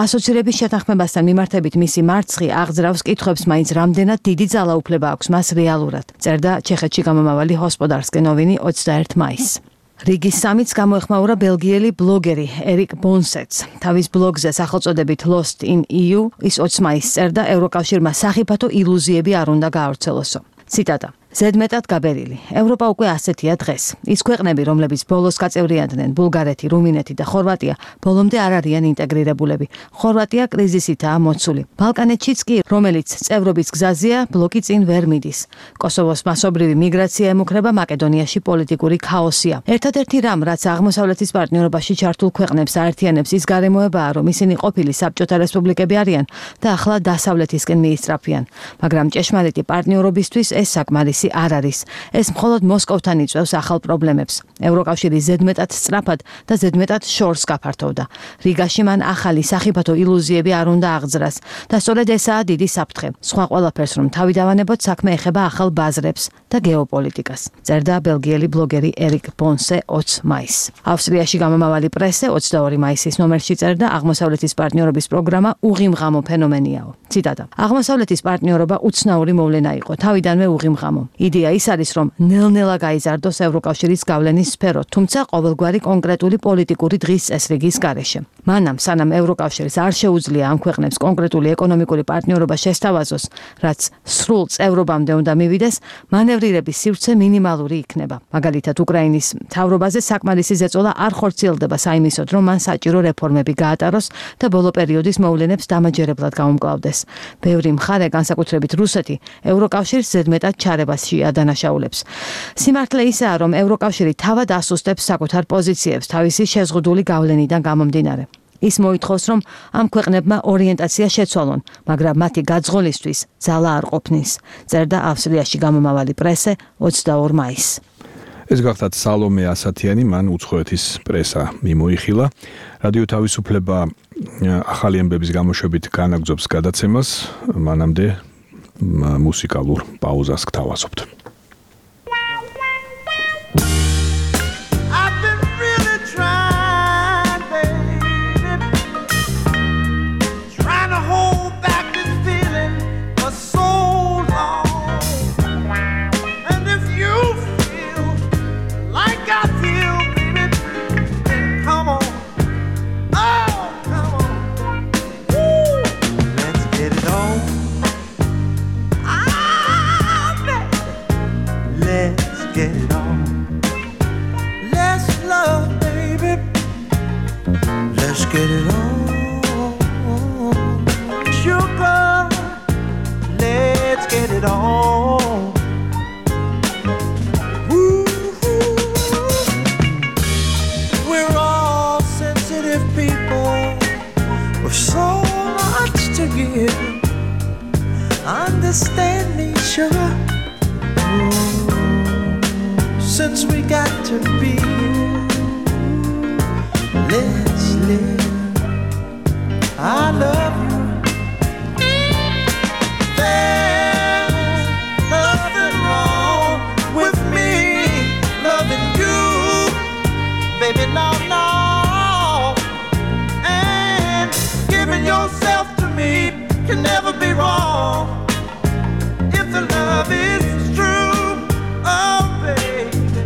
Speaker 15: ასოცირების შეთანხმებასთან მიმართებით მისი მარცხი აღძრავს კითხვებს, მაინც რამდენად დიდი ძალაუფლება აქვს მას რეალურად. წერდა ჩეხეთში გამომავალი ჰოსპოდარსკე ნოვინი ოცდაერთი მაისს. რიგის სამიც გამოეხმაურა ბელგიელი ბლოგერი ერიკ ბონსეტს. თავის ბლოგზე სახელწოდებით Lost in E U ის ოცი მაისს წერდა ევროკავშირმა სახიფათო ილუზიები არ უნდა გაავრცელოსო. ციტატა: ზედმეტად გაბერილი. ევროპა უკვე ასეთია დღეს. ის ქვეყნები, რომლებიც ბოლოს გაწევრიანდნენ, ბულგარეთი, რუმინეთი და ხორვატია, ბოლომდე არ არიან ინტეგრირებულები. ხორვატია კრიზისითაა მოცული. ბალკანეთშიც კი, რომელიც წევრობის გზაზეა, ბლოკი წინ ვერ მიდის. კოსოვოს მასობრივი მიგრაცია ემუქრება, მაკედონიაში პოლიტიკური ქაოსია. ერთადერთი რამ, რაც აღმოსავლეთის პარტნიორობაში ჩართულ ქვეყნებს აერთიანებს, ის გარემოებაა, რომ ისინი ყოფილი საბჭოთა რესპუბლიკები არიან და ახლა დასავლეთისკენ მიისწრაფიან. მაგრამ ჭეშმარიტი პარტნიორობისთვის ეს საკმარისი არ არის. ეს მხოლოდ მოსკოვთან იწვევს ახალ პრობლემებს. ევროკავშირი ზედმეტად სწრაფად და ზედმეტად შორს გაფართოვდა. რიგაში მან ახალი სახიფათო ილუზიები არ უნდა აღძრას და სწორედ ესაა დიდი საფრთხე. სხვა ყველაფერს რომ თავი დავანებოთ, საქმე ეხება ახალ ბაზრებს და გეოპოლიტიკას. წერდა ბელგიელი ბლოგერი ერიკ ბონსე ოცი მაისს. ავსტრიაში გამომავალი პრესე ოცდაორი მაისის ნომერში წერდა, აღმოსავლეთის პარტნიორობის პროგრამა უღიმღამო ფენომენიაო. ციტატა: აღმოსავლეთის პარტნიორობა უცნაური მოვლენა იყო, თავიდანვე უღიმღამო. იდეა ის არის, რომ ნელ-ნელა გაიზარდოს ევროკავშირის გავლენის სფერო, თუმცა ყოველგვარი კონკრეტული პოლიტიკური დღის წესრიგის გარეშე. მანამ სანამ ევროკავშირს არ შეუძლია ამ ქვეყნებს კონკრეტული ეკონომიკური პარტნიორობა შესთავაზოს, რაც სრულ წევრობამდე უნდა მივიდეს, მანევრირების სივრცე მინიმალური იქნება. მაგალითად, უკრაინის მთავრობაზე საკმარისი ზეწოლა არ ხორციელდება საიმისოდ, რომ მან საჭირო რეფორმები გაატაროს და ბოლო პერიოდის მოვლენებს დამაჯერებლად გაუმკლავდეს. ბევრი მხარე, განსაკუთრებით რუსეთი, ევროკავშირს ზედმეტად ჩარებას ადანაშაულებს. სიმართლე ისაა, რომ ევროკავშირი თავად ასუსტებს საკუთარ პოზიციებს თავისი შეზღუდული გავლენიდან გამომდინარე. ის მოითხოვს, რომ ამ ქვეყნებმა ორიენტაცია შეცვალონ, მაგრამ მათი გაძღოლისთვის ძალა არ ყოფნის, წერდა ავსტრიაში გამომავალი პრესე ოცდაორ მაისს.
Speaker 2: ეს გახდათ სალომე ასათიანი, მან უცხოეთის პრესა მიმოიხილა. რადიო თავისუფლება ახალი ამბების გამოშვებით განაგრძობს გადაცემას, მანამდე მუსიკალურ პაუზას გთავაზობთ.
Speaker 16: Get it on, sugar, let's get it on. Woo-hoo. We're all sensitive people with so much to give. Understand me, sugar, ooh, since we got to be. Let's live. I love you. There's nothing wrong with me loving you, baby, no, no. And giving yourself to me can never be wrong if the love is true, oh baby.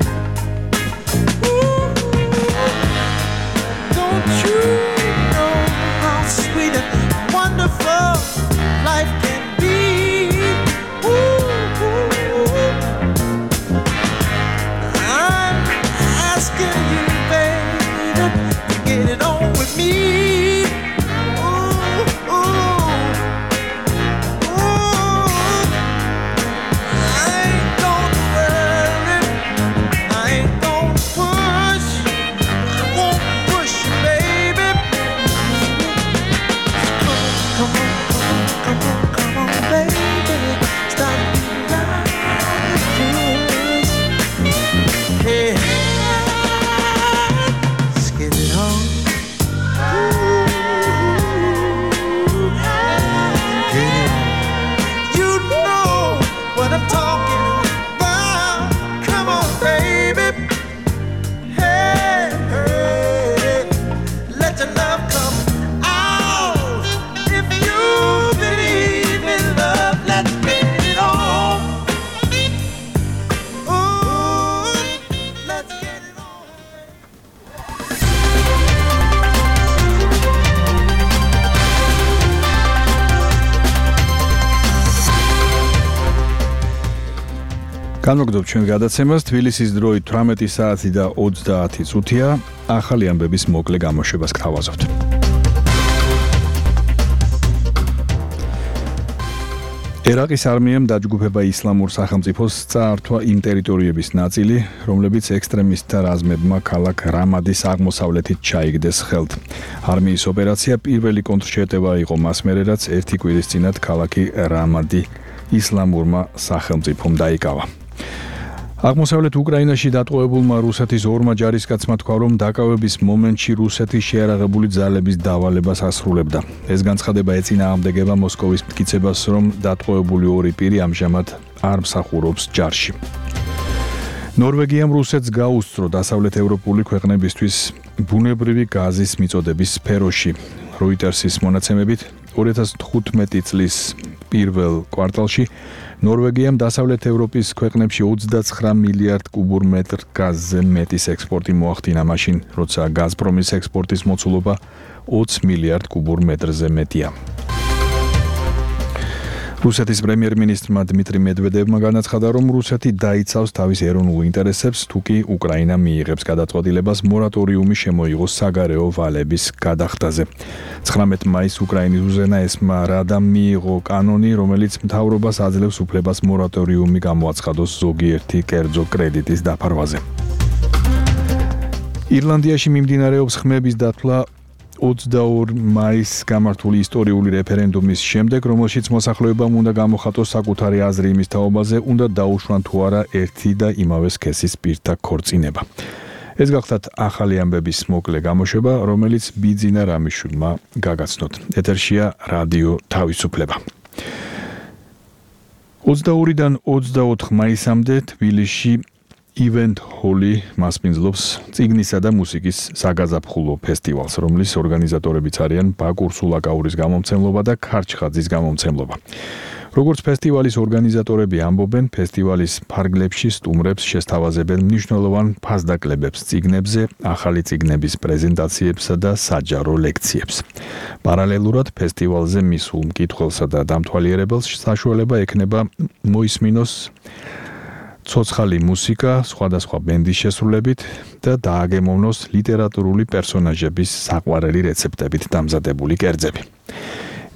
Speaker 16: Ooh, don't you? Sweet
Speaker 2: განმოგდობთ ჩვენ გადაცემას თბილისის დროით თვრამეტი საათი და ოცდაათი წუთია. ახალი ამბების მოკლე გამოშვებას გთავაზობთ. ერაყის არმიამ დაჯგუფება ისლამურ სახელმწიფოს წაართვა იმ ტერიტორიების ნაწილი, რომლებიც ექსტრემისტთა რაზმებმა ქალაქ რამადის აღმოსავლეთით ჩაიგდეს ხელთ. არმიის ოპერაცია პირველი კონტრშეტევა იყო მას მერე, რაც ერთი კვირის წინათ ქალაქი რამადი ისლამურმა სახელმწიფომ დაიკავა. აღმოსავლეთ უკრაინაში დატყვევებულმა რუსეთის ორმა ჯარისკაცმა თქვა, რომ დაკავების მომენტში რუსეთი შეიარაღებული ძალების დავალებას ასრულებდა. ეს განცხადება ეწინააღმდეგება მოსკოვის მტკიცებას, რომ დატყვევებული ორი პირი ამჟამად არ მსახურობს ჯარში. ნორვეგიამ რუსეთს გაუსწრო დასავლეთ ევროპული ქვეყნებისთვის ბუნებრივი გაზის მიწოდების სფეროში. როიტერსის მონაცემებით ორი ათას თხუთმეტი წლის პირველ კვარტალში ნორვეგიამ დასავლეთ ევროპის ქვეყნებში ოცდაცხრა მილიარდ კუბურ მეტრ გაზზე მეტის ექსპორტი მოახდინა მაშინ, როცა გაზპრომის ექსპორტის მოცულობა ოცი მილიარდ კუბურ მეტრზე მეტია. რუსეთის პრემიერ-მინისტრმა დმიტრი მედვედევმა განაცხადა, რომ რუსეთი დაიცავს თავის ეროვნულ ინტერესებს, თუკი უკრაინა მიიღებს გადაწყვეტილებას მორატორიუმი შემოიღოს საგარეო ვალების გადახდაზე. ცხრამეტ მაისს უკრაინის უზენაესმა რადამ მიიღო კანონი, რომელიც მთავრობას აძლევს უფლებას მორატორიუმი გამოაცხადოს ზოგიერთი კერძო კრედიტის დაფარვაზე. ირლანდიაში მიმდინარეობს ხმების დათვლა ოცდაორი მაისს გამართული ისტორიული რეფერენდუმის შემდეგ, რომელშიც მოსახლეობამ უნდა გამოხატოს საკუთარი აზრი იმის თაობაზე, უნდა დაუშვან თუ არა ერთი და იმავე სქესის პირთა ქორწინება. ეს გახლავთ ახალი ამბების მოკლე გამოშვება, რომელიც ბიძინა რამიშვილმა გაგაცნოთ. ეთერშია რადიო თავისუფლება. ოცდაორიდან ოცდაოთხ მაისამდე თბილისში Event Hall მასპინძლობს წიგნისა და მუსიკის საგაზაფხულო ფესტივალს, რომლის ორგანიზატორებიც არიან ბაკურ სულაკაურის გამომცემლობა და ქარჩხაძის გამომცემლობა. როგორც ფესტივალის ორგანიზატორები ამბობენ, ფესტივალის ფარგლებში სტუმრებს შესთავაზებენ მნიშვნელოვან ფასდაკლებებს წიგნებზე, ახალი წიგნების პრეზენტაციებსა და საჯარო ლექციებს. პარალელურად ფესტივალზე მისულ მკითხველსა და დამთვალიერებელს საშუალება ექნება მოისმინოს ცოცხალი მუსიკა, სხვადასხვა ბენდის შესრულებით და დააგემოვნოს ლიტერატურული პერსონაჟების საყვარელი რეცეპტებით დამზადებული კერძები.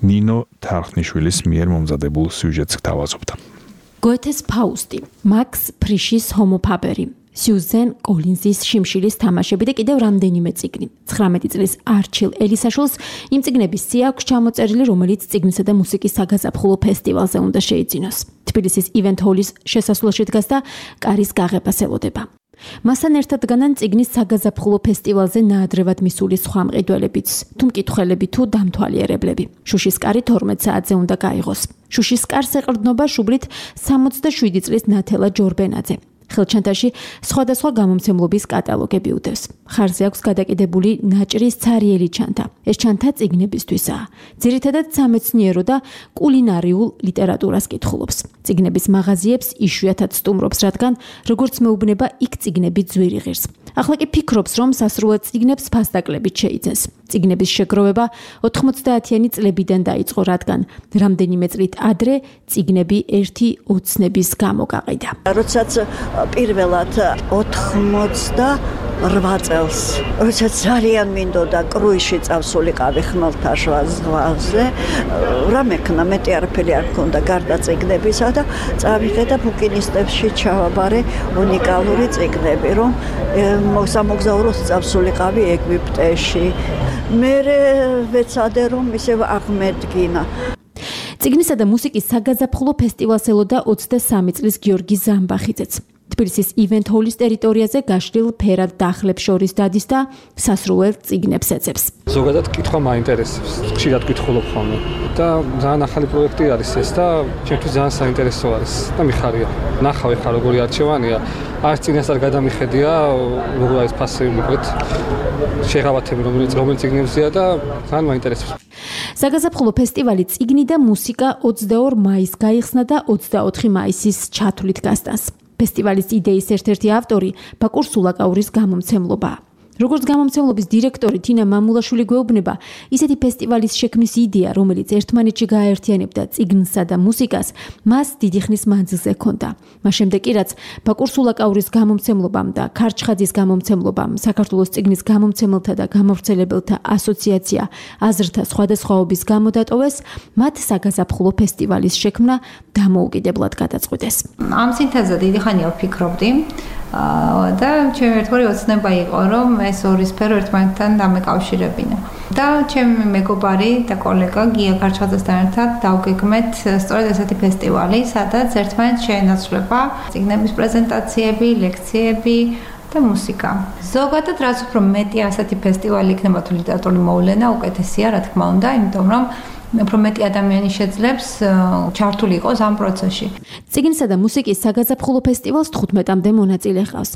Speaker 2: ნინო თარხნიშვილის მიერ მომზადებულ სიუჟეტს გთავაზობთ.
Speaker 17: გოეთეს ფაუსტი, მაქს ფრიშის ჰომო ფაბერი, სიუზენ კოლინზის შიმშილის თამაშები და კიდევ რამდენიმე წიგნი. ცხრამეტი წლის არჩილ ელისაშვილს იმ წიგნების სია აქვს ჩამოწერილი, რომელიც წიგნისა და მუსიკის საგაზაფხულო ფესტივალზე უნდა შეიძინოს. თბილისის Event Hall-ის შესასვლელში დგას და კარის გაღებას ელოდება. მასთან ერთად დგანან წიგნის საგაზაფხულო ფესტივალზე ნაადრევად მისული სხვა მყიდველებიც, თუ მკითხველები თუ დამთვალიერებლები. შუშის კარი თორმეტ საათზე უნდა გაიღოს. შუშის კარს ეყრდნობა შუბლით სამოცდაშვიდი წლის ნათელა ჯორბენაძე. ხელჩანთაში სხვადასხვა გამომცემლობის კატალოგები უდევს. ხარზე აქვს გადაკიდებული ნაჭრის ცარიელი ჩანთა. ეს ჩანთა წიგნებისთვისაა. ძირითადად სამეცნიერო და კულინარიულ ლიტერატურას კითხულობს. წიგნების მაღაზიებს იშვიათად სტუმრობს, რადგან როგორც მეუბნება, იქ წიგნები ძვირი ღირს. ახლა კი ფიქრობს, რომ სასრულად წიგნებს ფასდაკლებით შეიძენს. წიგნების შეგროვება ოთხმოცდაათიანი წლებიდან დაიწყო, რადგან რამდენიმე წლით ადრე წიგნები ერთი ოცნების გამო გაყიდა.
Speaker 18: როდესაც პირველად ოთხმოცდარვა წელს, როდესაც ძალიან მინდოდა კრუიზში წავსულიყავი ხმელთაშუა ზღვაზე, რა მექნა, მეტი არაფერი არ მქონდა გარდა წიგნებისა და წავიღე და ბუკინისტებში ჩავაბარე უნიკალური წიგნები, რომ სამოგზაუროს წავსულიყავი ეგვიპტეში. მერე ვეცადე, რომ ისევ აღმედგინა.
Speaker 17: წიგნისა და მუსიკის საგაზაფხულო ფესტივალს ელოდა ოცდასამი წლის გიორგი ზამბახიძეც. თბილისის Event Hall-ის ტერიტორიაზე გაშლილ ფერად დახლებს შორის დადის და სასრულ წიგნებს ეძებს.
Speaker 19: ზოგადად კითხვა მაინტერესებს, ხშირად კითხულობ ხოლმე და ძალიან ახალი პროექტი არის ეს და ჩემთვის ძალიან საინტერესო არის და მიხარია. ნახავ ხა როგორი არჩევანია, არც წინასწარ გადამიხედია, როგორ არის ფასები მოკლედ შეღავათები რომელიც რომელი წიგნებზეა და ძალიან მაინტერესებს.
Speaker 17: საგაზაფხულო ფესტივალი წიგნი და მუსიკა ოცდაორ მაისს გაიხსნა და ოცდაოთხი მაისის ჩათვლით გასტანს. ფესტივალის იდეის ერთ-ერთი ავტორი ბაკურ სულაკაურის გამომცემლობა. როგორც გამომცემლობის დირექტორი თინა მამულაშვილი გვეუბნება, ისეთი ფესტივალის შექმნის იდეა, რომელიც ერთმანეთში გააერთიანებდა წიგნსა და მუსიკას, მას დიდი ხნის მანძილზე ჰქონდა. მას შემდეგ კი რაც ბაკურ სულაკაურის გამომცემლობამ და ქარჩხაძის გამომცემლობამ საქართველოს წიგნის გამომცემელთა და გამავრცელებელთა ასოციაცია აზრთა სხვადასხვაობის გამო დატოვეს, მათ საგაზაფხულო ფესტივალის შექმნა დამოუკიდებლად გადაწყვიტეს.
Speaker 20: ამ სინთეზზე დიდი ხანია ვფიქრობდი და ჩემი ერთგვარი ოცნება იყო, რომ ეს ორი სფერო ერთმანეთთან დამეკავშირებინა. და ჩემი მეგობარი და კოლეგა გია ქარჩხაძესთან ერთად დავგეგმეთ სწორედ ესეთი ფესტივალი, სადაც ერთმანეთს შეენაცვლება წიგნების პრეზენტაციები, ლექციები და მუსიკა. ზოგადად რაც უფრო მეტი ასეთი ფესტივალი იქნება თუ ლიტერატურული მოვლენა, უკეთესია, რა თქმა უნდა, იმიტომ რომ უფრო მეტი ადამიანი შეძლებს ჩართული იყოს ამ პროცესში.
Speaker 17: წიგნსა და მუსიკის საგაზაფხულო ფესტივალს თხუთმეტამდე მონაწილე ჰყავს.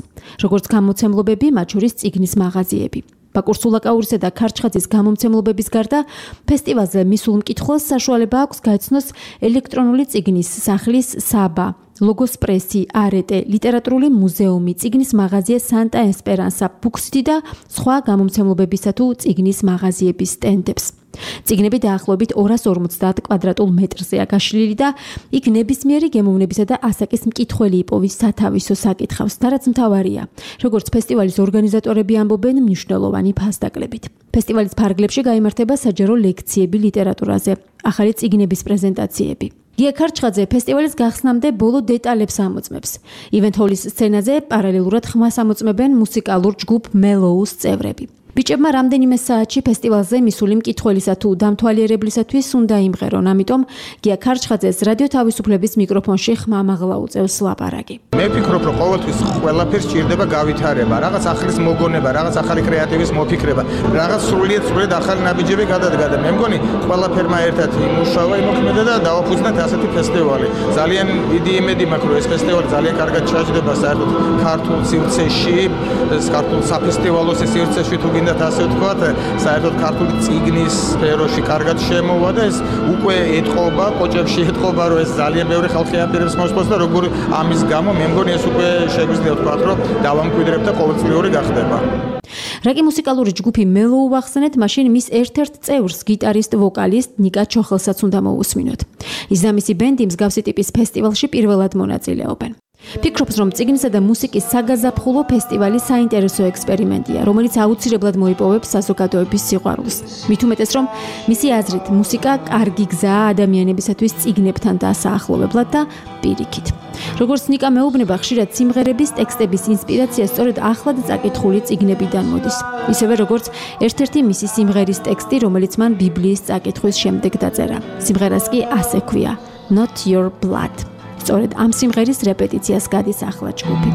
Speaker 17: როგორც გამოცემლობები, მათ შორის წიგნის მაღაზიები. ბაკურ სულაკაურისა და ქარჩხაძის გამომცემლობების გარდა ფესტივალზე მისულ მკითხველს საშუალება აქვს გაეცნოს ელექტრონული წიგნის სახლის საბა, ლოგოს პრესი, არეტე, ლიტერატურული მუზეუმი, წიგნის მაღაზია სანტა ესპერანსა, ბუქსიტი და სხვა გამომცემლობებისა თუ წიგნის მაღაზიების სტენდებს. წიგნები დაახლოებით ორას ორმოცდაათ კვადრატულ მეტრზეა გაშლილი და იქ ნებისმიერი გემოვნებისა და ასაკის მკითხველი იპოვის სათავისო საკითხავს და რაც მთავარია, როგორც ფესტივალის ორგანიზატორები ამბობენ, მნიშვნელოვანი ფასდაკლებით. ფესტივალის ფარგლებში გაიმართება საჯარო ლექციები ლიტერატურაზე, ახალი წიგნების პრეზენტაციები. გია ქარჩხაძე ფესტივალის გახსნამდე ბოლო დეტალებს ამოწმებს. ივენთ ჰოლის სცენაზე პარალელურად ხმას ამოწმებენ მუსიკალურ ჯგუფ მელოუს წევრები. ბიჭებმა რამდენიმე საათში ფესტივალზე მისული მკითხველისა თუ დამთვალიერებლისათვის უნდა იმღერონ, ამიტომ გია ქარჩხაძეს რადიო თავისუფლების მიკროფონში ხმამაღლა უწევს ლაპარაკი.
Speaker 21: მე ვფიქრობ, რომ ყოველთვის ყველაფერს ჭირდება გავითარება, რაღაც ახლის მოგონება, რაღაც ახალი კრეატივის მოფიქრება, რაღაც სრულიად სრულიად ახალი ნაბიჯები გადადგა და მე მგონი ყველაფერმა ერთად იმუშავა, იმოქმედა და დავაფუძნეთ ასეთი ფესტივალი. ძალიან დიდი იმედი მაქვს, რომ ეს ფესტივალი ძალიან კარგად ჩაჯდება საერთოდ ქართულ სივრცეში, ქართულ საფესტივალო სივრცეში თუ გინდათ ასე ვთქვათ, საერთოდ ქართული წიგნის სფეროში კარგად შემოვა და ეს უკვე ეთყობა, კოჭებში ეთყობა, რომ ეს ძალიან ბევრი ხალხი აპირებს მოსვლას და როგორ ამის გამო მე მგონი ეს უკვე შეგვიძლია ვთქვათ, რომ დავამკვიდრებ და ყოველწლიური გახდება.
Speaker 17: რაკი მუსიკალური ჯგუფი მელოუ ვახსენეთ, მაშინ მის ერთ-ერთ წევრს, გიტარისტ ვოკალისტ ნიკა ჩოხელსაც უნდა მოусმინოთ. ის და მისი ბენდი მსგავსი ტიპის ფესტივალში პირველად მონაწილეობენ. ფიქრობს, რომ წიგნისა და მუსიკის საგაზაფხულო ფესტივალი საინტერესო ექსპერიმენტია, რომელიც აუცილებლად მოიპოვებს საზოგადოების სიყვარულს. მით უმეტეს, რომ მისი აზრით, მუსიკა კარგი გზაა ადამიანებისათვის წიგნებთან დასაახლოვებლად და პირიქით. როგორც ნიკა მეუბნება, ხშირად სიმღერების ტექსტების ინსპირაცია სწორედ ახლად წაკითხული წიგნებიდან მოდის. ისევე როგორც ერთ-ერთი მისი სიმღერის ტექსტი, რომელიც მან ბიბლიის წაკითხვის შემდეგ დაწერა. სიმღერას კი ასე ქვია: Not Your Blood. სწორედ ამ სიმღერის რეპეტიციას გადის ახლა ჯგუფი.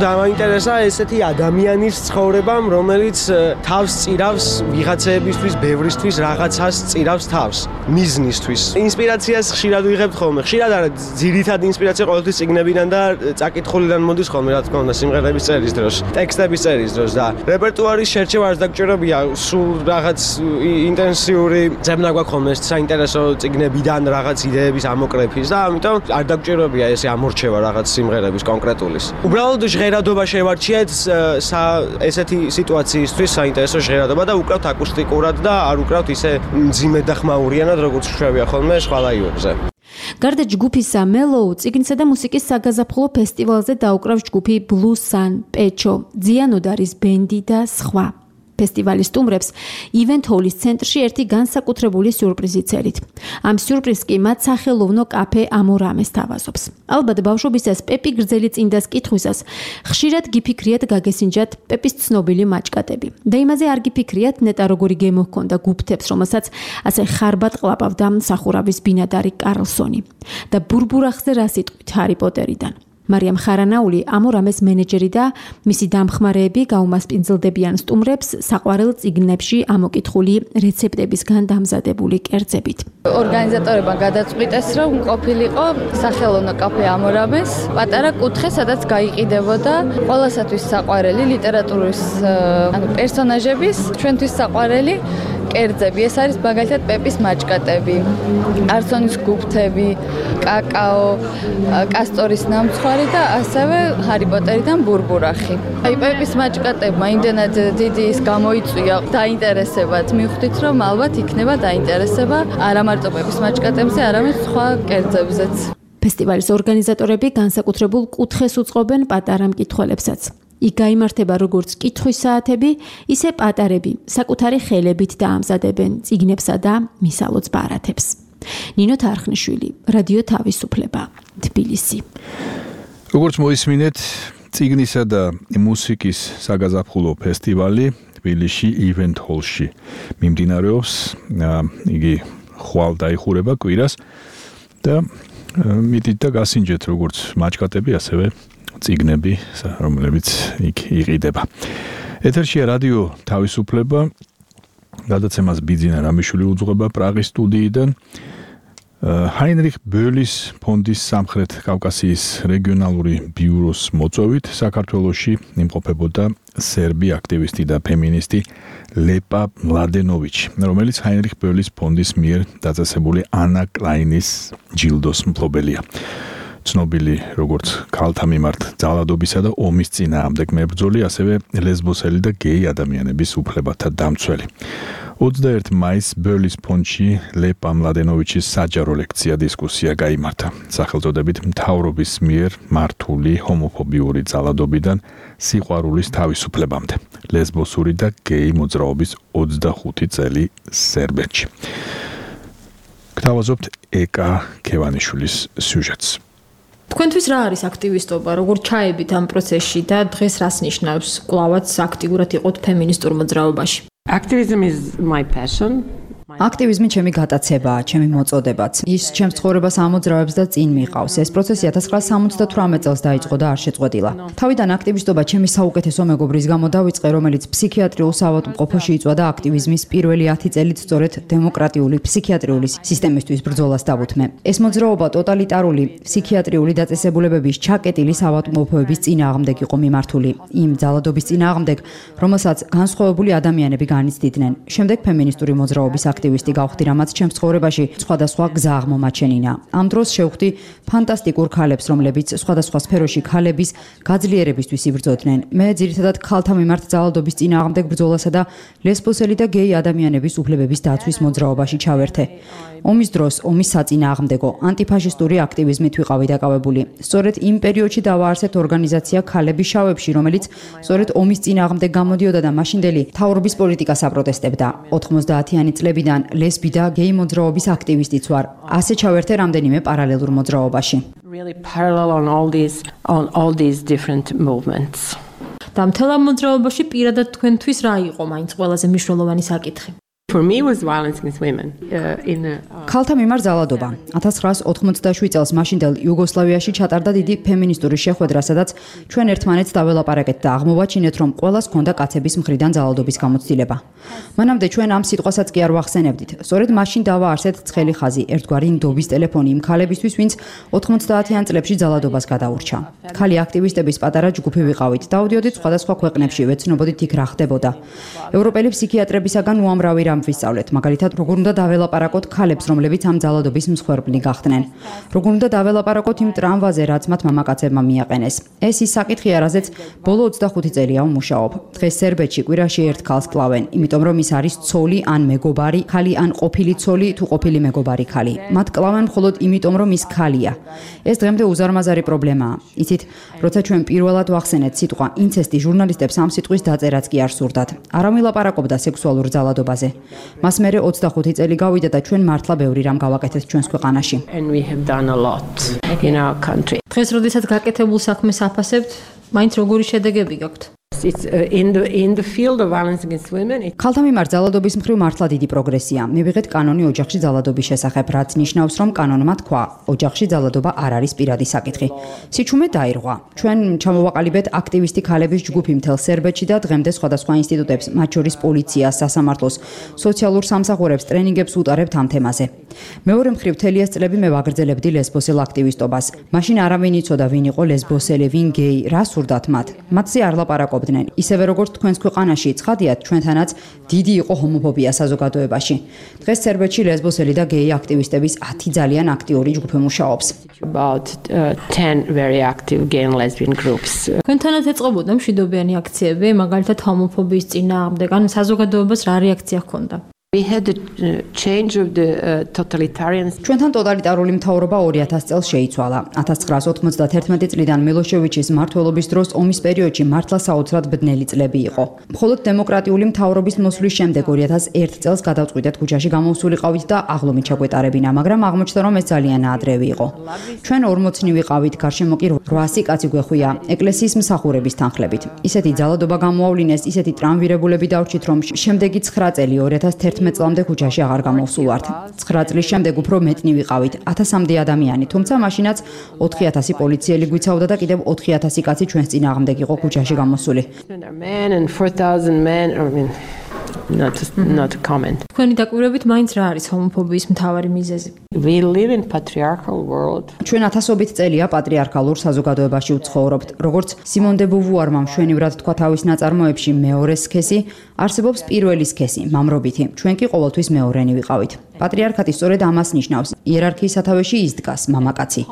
Speaker 22: დამაინტერესა ესეთი ადამიანის ცხოვრებამ, რომელიც თავს წირავს ვიღაცეებისთვის, ბევრისთვის რაღაცას წირავს თავს, მიზნისთვის. ინსპირაციას ხშირად ვიღებთ ხოლმე. ხშირად არა, ძირითადი ინსპირაცია ყოველთვის წიგნებიდან და წაკითხულიდან მოდის ხოლმე, რა თქმა უნდა, სიმღერების წერის დროს, ტექსტების წერის დროს და რეპერტუარის შერჩევა არ დაგჭირებია, სულ რაღაც ინტენსიური ძებნა გვაქვს ხოლმე საინტერესო წიგნებიდან რაღაც იდეების ამოკრეფის და ამიტომ არ დაგჭირებია ესე ამორჩევა რაღაც სიმღერების კონკრეტულის. უბრალოდ ჟღერადობა შევარჩიეთ ესეთი სიტუაციისთვის საინტერესო ჟღერადობა და უკრავთ აკუსტიკურად და არ უკრავთ ისე მძიმედ და ხმაურიანად, როგორც შვევია ხოლმე სხვა ლაივებზე.
Speaker 17: გარდა ჯგუფისა მელოუ, წიგნისა და მუსიკის საგაზაფხულო ფესტივალზე დაუკრავს ჯგუფი Blue Sun, პეჩო, ძიანოდარის ბენდი და სხვა. ფესტივალის სტუმრებს ივენთ ჰოლის ცენტრში ერთი განსაკუთრებული სიურპრიზი წერით. ამ სიურპრიზს კი მათ სახელოვნო კაფე ამორამეს თავაზობს. ალბათ ბავშვობისას პეპი გრძელი წინდას კითხვისას ხშირად გიფიქრიათ გაგესინჯათ პეპის ცნობილი მაჭკატები. და იმაზე არ გიფიქრიათ ნეტა როგორი გემო ჰქონდა გუფთებს, რომელსაც ასე ხარბად ყლაპავდა მსახურავის ბინადარი კარლსონი. და ბურბურახზე რა სიტყვით ჰარი პოტერიდან. მარიამ ხარანაული ამორამეს მენეჯერი და მისი დამხმარეები გაუმასპინძლდებიან სტუმრებს საყვარელ წიგნებში ამოკითხული რეცეპტებისგან დამზადებული კერძებით.
Speaker 23: ორგანიზატორებმა გადაწყვიტეს, რომ ყოფილიყო სახელოვნო კაფე ამორამეს, პატარა კუთხე, სადაც გაიყიდებოდა ყველასათვის საყვარელი ლიტერატურის ანუ პერსონაჟების, ჩვენთვის საყვარელი კერძები. ეს არის მაგალითად პეპის მაჭკატები, არსონის გუფთები, კაკაო, კასტორის ნამცხვარი და ასევე ჰარი პოტერიდან ბურბურახი. აი პეპის მაჭკატებმა იმდენად დიდი ის გამოიწვია დაინტერესებად, მივხვდით რომ ალბათ იქნება დაინტერესება არა მარტო პეპის მაჭკატებზე, არამედ სხვა კერძებზეც.
Speaker 17: ფესტივალის ორგანიზატორები განსაკუთრებულ კუთხეს უწყობენ პატარა მკითხველებსაც. იქ გაიმართება როგორც კითხვის საათები, ისე პატარები საკუთარი ხელებით დაამზადებენ წიგნებსა და მისალოც ბარათებს. ნინო თარხნიშვილი, რადიო თავისუფლება, თბილისი.
Speaker 2: როგორც მოისმინეთ, წიგნისა და მუსიკის საგაზაფხულო ფესტივალი თბილისში ივენთ ჰოლში მიმდინარეობს. იგი ხვალ დაიხურება კვირას და მიდით და გასინჯეთ როგორც მაჭკატები, ასევე წიგნები, რომლებიც იქ იყიდება. ეთერშია რადიო თავისუფლება, გადაცემას ბიძინა რამიშვილი უძღვება პრაღის სტუდიიდან. ჰაინრიხ ბოლის ფონდის სამხრეთ კავკასიის რეგიონალური ბიუროს მოწვევით საქართველოში იმყოფებოდა სერბი აქტივისტი და ფემინისტი ლეპა მლადენოვიჩი, რომელიც ჰაინრიხ ბოლის ფონდის მიერ დაწესებული ანა კლაინის ჯილდოს მფლობელია. ცნობილი როგორც ქალთა მიმართ ძალადობისა და ომის წინააღმდეგ მებრძოლი, ასევე ლესბოსელი და გეი ადამიანების უფლებათა დამცველი. ოცდაერთი მაისს ბოლის ფონდში ლეპა მლადენოვიჩის საჯარო ლექცია დისკუსია გაიმართა. სახელწოდებით მთავრობის მიერ მართული ჰომოფობიური ძალადობიდან სიყვარულის თავისუფლებამდე. ლესბოსური და გეი მოძრაობის ოცდახუთი წელი სერბეთში. გთავაზობთ ეკა ქევანიშვილის სიუჟეტს.
Speaker 1: თქვენთვის რა არის აქტივისტობა, როგორ ჩაებით ამ პროცესში და დღეს რას ნიშნავს კვლავაც აქტიურად იყოთ ფემინისტურ მოძრაობაში?
Speaker 3: Activism is my passion.
Speaker 6: აქტივიზმი ჩემი გატაცებაა, ჩემი მოწოდებაც. ის ჩემს ცხოვრებას ამოძრავებს და წინ მიყავს. ეს პროცესი ათას ცხრაასა სამოცდათვრამეტ წელს დაიწყო და არ შეწყვეტილა. თავიდან აქტივისტობა ჩემი საუკეთესო მეგობრის გამო დავიწყე, რომელიც ფსიქიატრიულ საავადმყოფოში იწვა და აქტივიზმის პირველი ათი წელით სწორედ დემოკრატიული ფსიქიატრიული სისტემისთვის ბრძოლას დავუთმე. ეს მოძრაობა ტოტალიტარული ფსიქიატრიული დაწესებულებების ჩაკეტილი საავადმყოფოების წინააღმდეგ იყო მიმართული. იმ ძალადობის წინააღმდეგ, რომელსაც განსხვავებული ადამიანები განიცდიდნენ. შემდეგ ფემინისტური მოძრაობის აქტივისტი გავხდი, რამაც ჩემს ცხოვრებაში სხვადასხვა გზა აღმომაჩენინა. ამ დროს შევხვდი ფანტასტიკურ ქალებს, რომლებიც სხვადასხვა სფეროში ქალების გაძლიერებისთვის იბრძოდნენ. მე ძირითადად ქალთა მიმართ ძალადობის წინააღმდეგ ბრძოლასა და ლესბოსელი და გეი ადამიანების უფლებების დაცვის მოძრაობაში ჩავერთე. ომის დროს ომის საწინააღმდეგო ანტიფაშისტური აქტივიზმით ვიყავი დაკავებული. სწორედ იმ პერიოდში დავაარსეთ ორგანიზაცია ქალები შავებში, რომელიც სწორედ ომის წინააღმდეგ გამოდიოდა და მაშინდელი მთავრობის პოლიტიკას აპროტესტებდა. ოთხმოცდაათიანი წლებიდან ლესბი და გეი მოძრაობის აქტივისტიც ვარ. ასე ჩავერთე რამდენიმე პარალელურ მოძრაობაში.
Speaker 3: Really parallel on all these on all these different movements.
Speaker 1: და მთელ ამ მოძრაობაში პირადად თქვენთვის რა იყო მაინც ყველაზე მნიშვნელოვანი საკითხი?
Speaker 3: For me was violence against women uh, in a, uh...
Speaker 6: ქალთა მიმართ ძალადობა. ათას ცხრაასა ოცდაშვიდ წელს მაშინდელ იუგოსლავიაში ჩატარდა დიდი ფემინისტური შეხვედრა, სადაც ჩვენ ერთმანეთს დაველაპარაკეთ და აღმოვაჩინეთ, რომ ყველას ჰქონდა კაცების მხრიდან ძალადობის გამოცდილება. მანამდე ჩვენ ამ სიტყვასაც კი არ ვახსენებდით. სწორედ მაშინ დავაარსეთ ცხელი ხაზი, ერთგვარი ნდობის ტელეფონი იმ ქალებისთვის, ვინც ოთხმოცდაათიან წლებში ძალადობას გადაურჩა. ქალი აქტივისტების პატარა ჯგუფი ვიყავით, დავდიოდით სხვადასხვა ქვეყნებში, ვეცნობოდით იქ რა ხდებოდა. ევროპელი ფსიქიატრებისაგან უამრავი რამ ვისწავლეთ, მაგალითად, როგორ უნდა დაველაპარაკოთ ქალებს, რომლებიც ამ ძალადობის მსხვერპლი გახდნენ. როგორ უნდა დაველაპარაკოთ იმ ტრამვაზე, რაც მათ მამაკაცებმა მიაყენეს. ეს ის საკითხია, რაზეც ბოლო ოცდახუთი წელია ვმუშაობ. დღეს სერბეთში კვირაში ერთ ქალს კლავენ, იმიტომ რომ ის არის ცოლი ან მეგობარი ქალი ან ყოფილი ცოლი თუ ყოფილი მეგობარი ქალი. მათ კლავენ მხოლოდ იმიტომ, რომ ის ქალია. ეს დღემდე უზარმაზარი პრობლემაა. იცით, როცა ჩვენ პირველად ვახსენეთ სიტყვა ინცესტი, ჟურნალისტებს ამ სიტყვის დაწერაც კი არ სურდათ. არ ამილაპარაკობდა სექსუალურ ძალადობაზე. მას მერე ოცდახუთი წელი გავიდა და ჩვენ მართლა ბევრი რამ გავაკეთეთ ჩვენს ქვეყანაში.
Speaker 3: And we have done a lot in our country.
Speaker 1: დღეს როდესაც გაკეთებულ საქმეს აფასებთ, მაინც როგორი შედეგები გაქვთ?
Speaker 3: It's uh, in the in the field of violence against women.
Speaker 6: ქალთა მიმართ ძალადობის მხრივ მართლა დიდი პროგრესია. მივიღეთ კანონი ოჯახში ძალადობის შესახებ, რაც ნიშნავს, რომ კანონმა თქვა, ოჯახში ძალადობა არ არის პირადი საკითხი. სიჩუმე დაირღვა. ჩვენ ჩამოვაყალიბეთ აქტივისტი ქალების ჯგუფი მთელ სერბეთში და დღემდე სხვადასხვა ინსტიტუტებს, მათ შორის პოლიციას, სასამართლოს, სოციალურ სამსახურებს ტრენინგებს უტარებთ ამ თემაზე. მეორე მხრივ მთელი ეს წლები მე ვაგრძელებდი ლესბოსელ აქტივისტობას. მაშინ არავინ იცოდა, ვინ იყო ლესბოსელი, ვინ გეი, რა სურდათ მათ. მათზე არ ლაპარაკობდი, ცხოვრობდნენ. ისევე როგორც თქვენს ქვეყანაში ცხადიათ, ჩვენთანაც დიდი იყო ჰომოფობია საზოგადოებაში. დღეს სერბეთში ლესბოსელი და გეი აქტივისტების ათი ძალიან აქტიური ჯგუფი მუშაობს.
Speaker 3: About uh, ten very active gay and lesbian groups.
Speaker 1: თქვენთანაც ეწყობოდა მშვიდობიანი აქციები, მაგალითად ჰომოფობიის წინააღმდეგ, ან საზოგადოებას რა რეაქცია ჰქონდა?
Speaker 3: We had the uh, change of the uh, totalitarian.
Speaker 6: ჩვენთან ტოტალიტარული მთავრობა ორი ათას წელს შეიცვალა. ათას ცხრაას ოთხმოცდათერთმეტი წლიდან მილოშევიჩის მმართველობის დროს ომის პერიოდში მართლა საოცრად ბნელი წლები იყო. მხოლოდ დემოკრატიული მთავრობის მოსვლის შემდეგ ორი ათას ერთ წელს გადავწყვიტეთ ქუჩაში გამოვსულიყავით და აღლომით ჩაგვეტარებინა, მაგრამ აღმოჩნდა რომ ეს ძალიან ადრევი იყო. ჩვენ ორმოცნი ვიყავით, გარშემო კი რვასი კაცი გვეხვია, ეკლესიის მსახურების თანხლებით. ისეთი ძალადობა გამოავლინეს, ისეთი ტრამვირებულები დავრჩით, რომ შემდეგი ცხრა წელი ორი ათას თერთმეტ წლამდე ქუჩაში აღარ გამოვსულვართ. ცხრა წლის შემდეგ უფრო მეტნი ვიყავით, ათასამდე ადამიანი, თუმცა მაშინაც ოთხი ათასი პოლიციელი გვიცავდა და კიდევ ოთხი ათასი კაცი ჩვენს წინააღმდეგ იყო ქუჩაში გამოსული.
Speaker 3: Men and four thousand men, I mean, not not a comment.
Speaker 1: თქვენი დაკვირვებით მაინც რა არის ჰომოფობიის მთავარი მიზეზი?
Speaker 3: We live in patriarchal world.
Speaker 6: ჩვენ ათასობით წელია პატრიარქალურ საზოგადოებაში ვცხოვრობთ. როგორც სიმონ დე ბუვუარმა მშვენივრად თქვა თავის ნაწარმოებში, მეორე სქესი არსებობს პირველი სქესი, მამრობითი. ჩვენ კი ყოველთვის მეორენი ვიყავით. პატრიარქატი სწორედ ამას ნიშნავს. იერარქიის სათავეში ის დგას, მამაკაცი.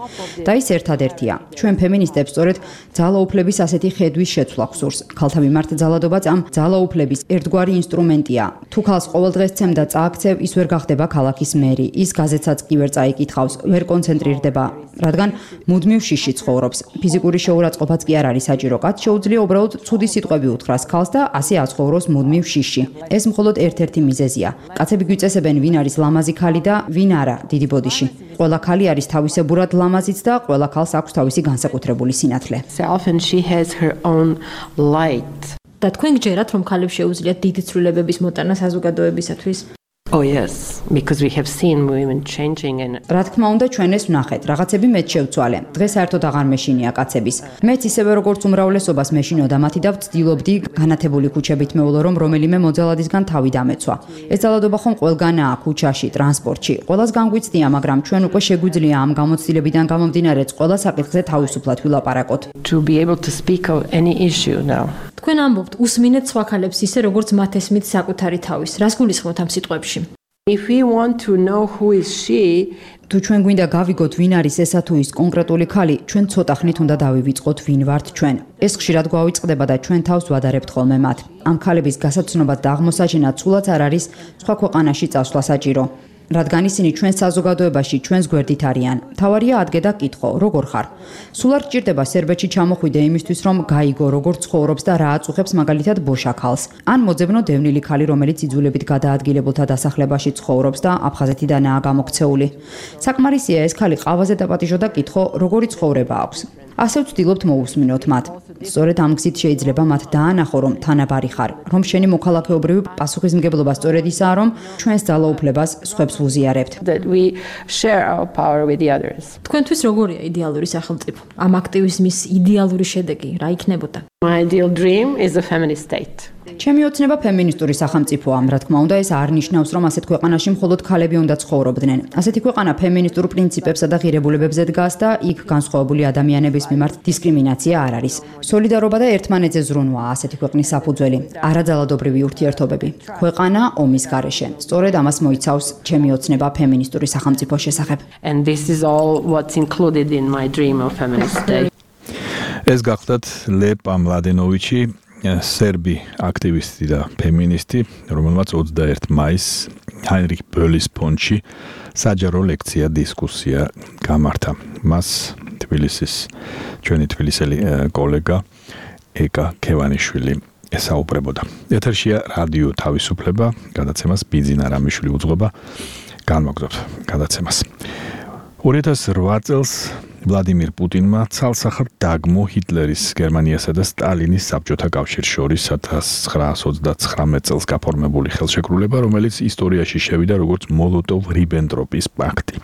Speaker 6: და ის ერთადერთია. ჩვენ ფემინისტებს სწორედ ძალაუფლების ასეთი ხედვის შეცვლა გვსურს. ქალთა მიმართ ძალადობაც ამ ძალაუფლების ერთგვარი ინსტრუმენტია. თუ ქალს ყოველდღეს ცემ და წააქცევ, ის ვერ გახდება ქალაქის მერი. ის გაზეთსაც კი ვერ წაიკითხავს, ვერ კონცენტრირდება, რადგან მუდმივ შიში ცხოვრობს. ფიზიკური შეურაცხყოფაც კი არ არის საჭირო. კაც შეუძლია უბრალოდ ცუდი სიტყვები უთხრას ქალს და ასე აცხოვროს მუდმივ შიში. ეს მხოლოდ ერთ-ერთი მიზეზია. კაცები გვიწესებენ, ვინ არის ლამაზი ქალი და ვინ არა დიდი ბოდიში. ყველა ქალი არის თავისებურად ლამაზიც და ყველა ქალს აქვს თავისი განსაკუთრებული სინათლე.
Speaker 3: Self and she has her own light.
Speaker 1: და თქვენ გჯერათ, რომ ქალებს შეუძლიათ დიდი ცვლილებების მოტანა საზოგადოებისათვის?
Speaker 3: Oh yes, because we have seen women changing and
Speaker 6: რა თქმა უნდა ჩვენ ეს ვნახეთ, რაღაცები მეც შევცვალე. დღეს საერთოდ აღარ მეშინია კაცების. მეც ისევე როგორც უმრავლესობას მეშინოდა მათი და ვცდილობდი განათებული ქუჩებით მეულო რომ რომელიმე მოძალადისგან თავი დამეცვა. ეს ძალადობა ხომ ყველგანაა ქუჩაში, ტრანსპორტში. ყველას განგვიცდია, მაგრამ ჩვენ უკვე შეგვიძლია ამ გამოცდილებიდან გამომდინარე ყველა საკითხზე თავისუფლად ვილაპარაკოთ.
Speaker 3: to be able to speak of any issue now.
Speaker 1: თქვენ ამბობთ, უსმინეთ სხვა ქალებს ისე როგორც მათ ესმით საკუთარი თავის. რას გულისხმობთ ამ სიტყვებში?
Speaker 3: If we want to know who is she,
Speaker 6: თუ ჩვენ გვინდა გავიგოთ ვინ არის ესა თუ ის კონკრეტული ქალი, ჩვენ ცოტა ხნით უნდა დავივიწყოთ ვინ ვართ ჩვენ. ეს ხშირად გვავიწყდება და ჩვენ თავს ვადარებთ ხოლმე მათ. ამ ქალების გასაცნობად და აღმოსაჩენად სულაც არ არის სხვა ქვეყანაში წასვლა საჭირო. რადგან ისინი ჩვენ საზოგადოებაში ჩვენს გვერდით არიან. თავარია ადგე და კითხო, როგორ ხარ? სულ არ გჭირდება სერბეთში ჩამოხვიდე იმისთვის, რომ გაიგო როგორ ცხოვრობს და რა აწუხებს მაგალითად ბოშა ქალს. ან მოძებნო დევნილი ქალი, რომელიც იძულებით გადაადგილებულთა დასახლებაში ცხოვრობს და აფხაზეთიდანაა გამოქცეული. საკმარისია ეს ქალი ყავაზე დაპატიჟო და კითხო, როგორი ცხოვრება აქვს. ასე ვცდილობთ მოусმინოთ მათ. სწორედ ამ გზით შეიძლება მათ დაანახო, რომ თანაბარი ხარ, რომ შენი მოქალაქეობრივი პასუხისმგებლობა სწორედ ისაა, რომ ჩვენს ძალაუფლებას სხვებს ვუზიარებთ.
Speaker 3: that we share our power with the others.
Speaker 1: თქვენთვის როგორია იდეალური სახელმწიფო? ამ აქტივიზმის იდეალური შედეგი რა იქნებოდა?
Speaker 3: My ideal dream is a feminist state.
Speaker 6: ჩემი ოცნება ფემინისტური სახელმწიფოა, რა თქმა უნდა, ეს არ ნიშნავს, რომ ასეთ ქვეყანაში მხოლოდ ქალები უნდა ცხოვრობდნენ. ასეთი ქვეყანა ფემინისტურ პრინციპებსა და ღირებულებებზე დგას და იქ განსხვავებული ადამიანების მიმართ დისკრიმინაცია არ არის. სოლიდარობა და ერთმანეთზე ზრუნვა ასეთი ქვეყნის საფუძველი, არაძალადობრივი ურთიერთობები. ქვეყანა ომის გარეშე. სწორედ ამას მოიცავს ჩემი ოცნება ფემინისტური სახელმწიფოს შესახებ.
Speaker 3: And this is all what's included in my dream of feminist state.
Speaker 2: ეს გახლდათ ლეპა მლადენოვიჩი, სერბი აქტივისტი და ფემინისტი, რომელმაც ოცდაერთი მაისს ჰაინრიხ ბოლის ფონდში საჯარო ლექცია დისკუსია გამართა. მას თბილისის ჩვენი თბილისელი კოლეგა ეკა ქევანიშვილი ესაუბრებოდა. ეთერშია რადიო თავისუფლება, გადაცემას ბიძინა რამიშვილი უძღვება. განმოგდოთ გადაცემას. ორი ათას რვა წელს ვლადიმირ პუტინმა ცალსახად დაგმო ჰიტლერის, გერმანიასა და სტალინის საბჭოთა კავშირს შორის ათას ცხრაას ოცდაცხრამეტ წელს გაფორმებული ხელშეკრულება, რომელიც ისტორიაში შევიდა როგორც მოლოტოვ-რიბენტროპის პაქტი.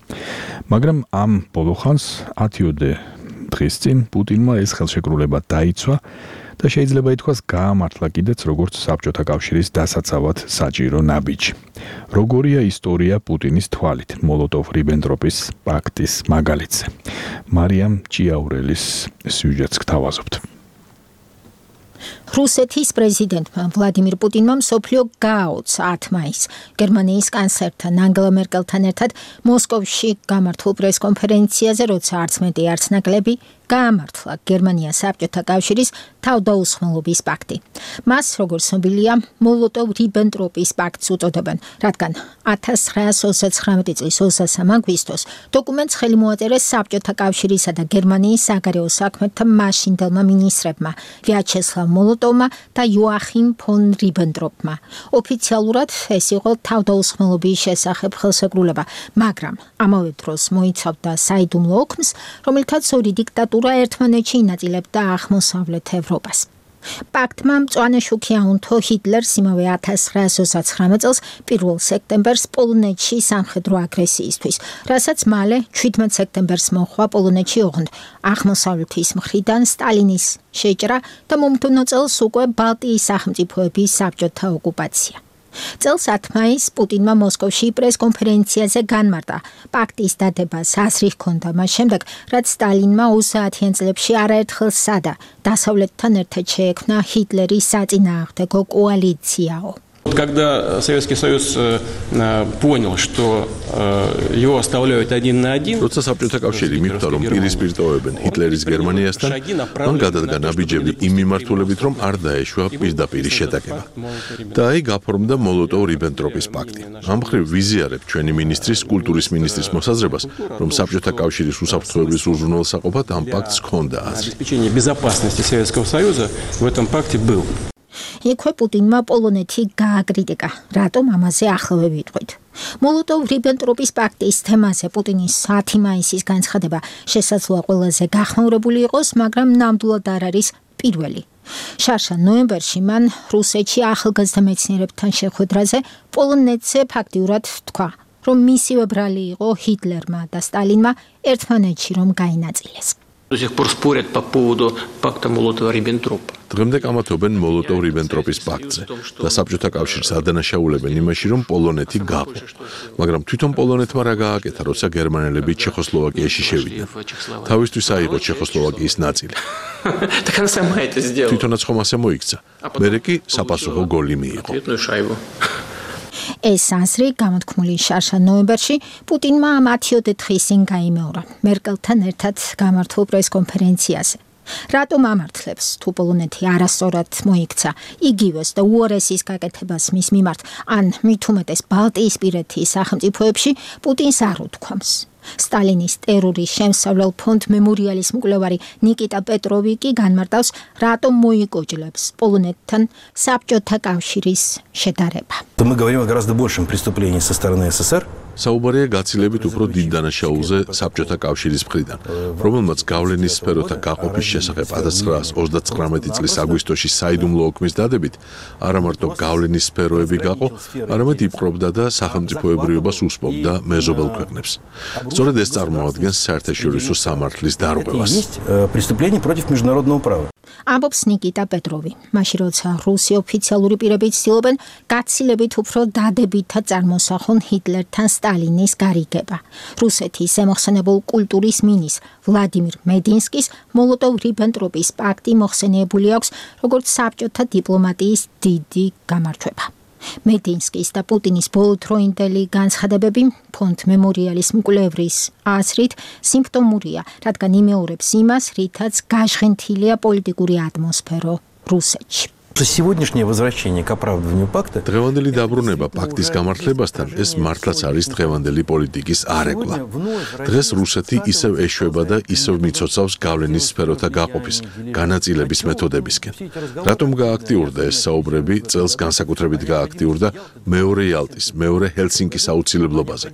Speaker 2: მაგრამ ამ ბოლოხანს ათიოდე დღის წინ პუტინმა ეს ხელშეკრულება დაიცვა და შეიძლება ითქვას გაამართლა კიდეც როგორც საბჭოთა კავშირის დასაცავად საჭირო ნაბიჯი. როგორია ისტორია პუტინის თვალით მოლოტოვ-რიბენტროპის პაქტის მაგალითზე? მარიამ ჭიაურელის სიუჟეტს გთავაზობთ.
Speaker 4: რუსეთის პრეზიდენტმა ვლადიმირ პუტინმა მსოფლიო გააოცა ათ მაისს გერმანიის კანცლერთან ანგელა მერკელთან ერთად მოსკოვში გამართულ პრესკონფერენციაზე, როცა არც მეტი არც ნაკლები გაამართლა გერმანია საბჭოთა კავშირის თავდაუსხმელობის პაქტი. მას, როგორც ცნობილია, მოლოტოვ-რიბენტროპის პაქტს უწოდებენ, რადგან ათას ცხრაას ოცდაცხრამეტი წლის ოცდასამ აგვისტოს დოკუმენტს ხელი მოაწერეს საბჭოთა კავშირისა და გერმანიის საგარეო საქმეთა მაშინდელმა მინისტრებმა ვიაჩესლავ მოლოტოვმა და იოახიმ ფონ რიბენტროპმა. ოფიციალურად ეს იყო თავდაუსხმელობის შესახებ ხელსეკრულება, მაგრამ ამავე დროს მოიცავდა საიდუმლო ოქმს, რომელთაც ორი დიქტატურა ერთმანეთში ინაწილებდა აღმოსავლეთ ევროპას. პაქტმა მწვანე შუქი აუნთო ჰიტლერს იმავე ათას ცხრაას ოცდაცხრამეტ წელს პირველ სექტემბერს პოლონეთში სამხედრო აგრესიისთვის, რასაც მალე შვიდმეტ სექტემბერს მოჰყვა პოლონეთში ოღონდ აღმოსავლეთის მხრიდან სტალინის შეჭრა და მომდევნო წელს უკვე ბალტიის სახელმწიფოების საბჭოთა ოკუპაცია. წელს ათ მაისს პუტინმა მოსკოვში პრესკონფერენციაზე განმარტა პაქტის დადებას აზრი ჰქონდა მას შემდეგ, რაც სტალინმა ოცდაათიან წლებში არაერთხელ სცადა დასავლეთთან ერთად შეექმნა ჰიტლერის საწინააღმდეგო კოალიციაო.
Speaker 9: Когда Советский Союз понял, что его оставляют один на один,
Speaker 14: როცა საბჭოთა კავშირი მიხვდა, რომ პირისპირ ტოვებენ ჰიტლერის გერმანიასთან, მან გადადგა ნაბიჯები იმ მიმართულებით, რომ არ დაეშვა პირდაპირი შეტაკება. და აი გაფორმდა მოლოტოვ-რიბენტროპის პაქტი. ამ მხრივ ვიზიარებ ჩვენი მინისტრის, კულტურის მინისტრის მოსაზრებას, რომ საბჭოთა კავშირის უსაფრთხოების უზრუნველსაყოფად ამ პაქტს ჰქონდა აზრი.
Speaker 9: обеспечение безопасности Советского Союза в этом пакте был.
Speaker 4: იქვე პუტინმა პოლონეთი გააკრიტიკა, რატომ ამაზე ახლავე ვიტყვით. მოლოტოვ-რიბენტროპის პაქტის თემაზე პუტინის ათი მაისის განცხადება შესაძლოა ყველაზე გახმაურებული იყოს, მაგრამ ნამდვილად არ არის პირველი. შარშა ნოემბერში მან რუსეთში ახალგაზრდა მეცნიერებთან შეხვედრაზე პოლონეთზე ფაქტიურად თქვა, რომ მისივე ბრალი იყო ჰიტლერმა და სტალინმა ერთმანეთში რომ გაინაწილეს.
Speaker 9: До сих пор спорят по поводу пакта Молотова-Риббентропа.
Speaker 14: დღემდე კამათობენ მოლოტოვ-რიბენტროპის პაქტზე და საბჭოთა კავშირს ადანაშაულებენ იმაში, რომ პოლონეთი გაყო. მაგრამ თვითონ პოლონეთმა რა გააკეთა, როცა გერმანელები ჩეხოსლოვაკიაში შევიდნენ. თავისთვის აიღო ჩეხოსლოვაკიის ნაწილი.
Speaker 9: Так она сама это сделала.
Speaker 14: თვითონაც ხომ ასე მოიქცა. მერე კი საპასუხო გოლი მიიღო.
Speaker 4: ეს აზრი გამოთქმული შარშა ნოემბერში პუტინმა მათიო დეთხისին გაიმეორა მერკელთან ერთად გამართულ პრესკონფერენციაზე. რატომ ამართლებს, თუ პოლონეთი არასწორად მოიქცა იგივეს და უარესის გაკეთებას მის მიმართ, ან მით უმეტეს ბალტიისპირეთის სახელმწიფოებში პუტინს არ უთქვამს. სტალინის ტერორის შემსავლელ ფონდ მემორიალის მკვლევარი ნიკიტა პეტროვი კი განმარტავს, რატომ მოიკოჭლებს პოლონეთთან საბჭოთა კავშირის შედარება.
Speaker 12: Мы говорим о гораздо большем преступлении со стороны СССР.
Speaker 14: საუბარია გაცილებით უფრო დიდ დანაშაულზე საბჭოთა კავშირის მხრიდან, რომელმაც გავლენის სფეროთა გაყოფის შესახებ ათას ცხრაას ოცდაცხრამეტი წლის აგვისტოში საიდუმლო ოქმის დადებით არა მარტო გავლენის სფეროები გაყო, არამედ იპყრობდა და სახელმწიფოებრიობას უსპობდა მეზობელ ქვეყნებს. სწორედ ეს წარმოადგენს საერთაშორისო სამართლის დარღვევას.
Speaker 12: Преступление против международного права.
Speaker 4: ამბობს ნიკიტა პეტროვი, მაშინ როცა რუსი ოფიციალური პირები ცდილობენ გაცილებით უფრო დადებითად წარმოსახონ ჰიტლერთან სტალინის გარიგება. რუსეთის ზემოხსენებულ კულტურის მინის ვლადიმირ მედინსკის მოლოტოვ-რიბენტროპის პაქტი მოხსენიებული აქვს როგორც საბჭოთა დიპლომატიის დიდი გამარჯვება. მედინსკის და პუტინის ბოლოდროინდელი განცხადებები ფონდ მემორიალის მკვლევრის აზრით სიმპტომურია, რადგან იმეორებს იმას, რითაც გაჟღენთილია პოლიტიკური ატმოსფერო რუსეთში.
Speaker 12: Сегодняшнее возвращение к оправдыванию пакта.
Speaker 14: დღევანდელი დაბრუნება პაქტის გამართლებასთან ეს მართლაც არის დღევანდელი პოლიტიკის არეკლა. დღეს რუსეთი ისევ ეშვება და ისევ მიცოცავს გავლენის სფეროთა გაყოფის, განაწილების მეთოდებისკენ. რატომ გააქტიურდა ეს საუბრები წელს განსაკუთრებით გააქტიურდა მეორე იალტის, მეორე ჰელსინკის აუცილებლობაზე.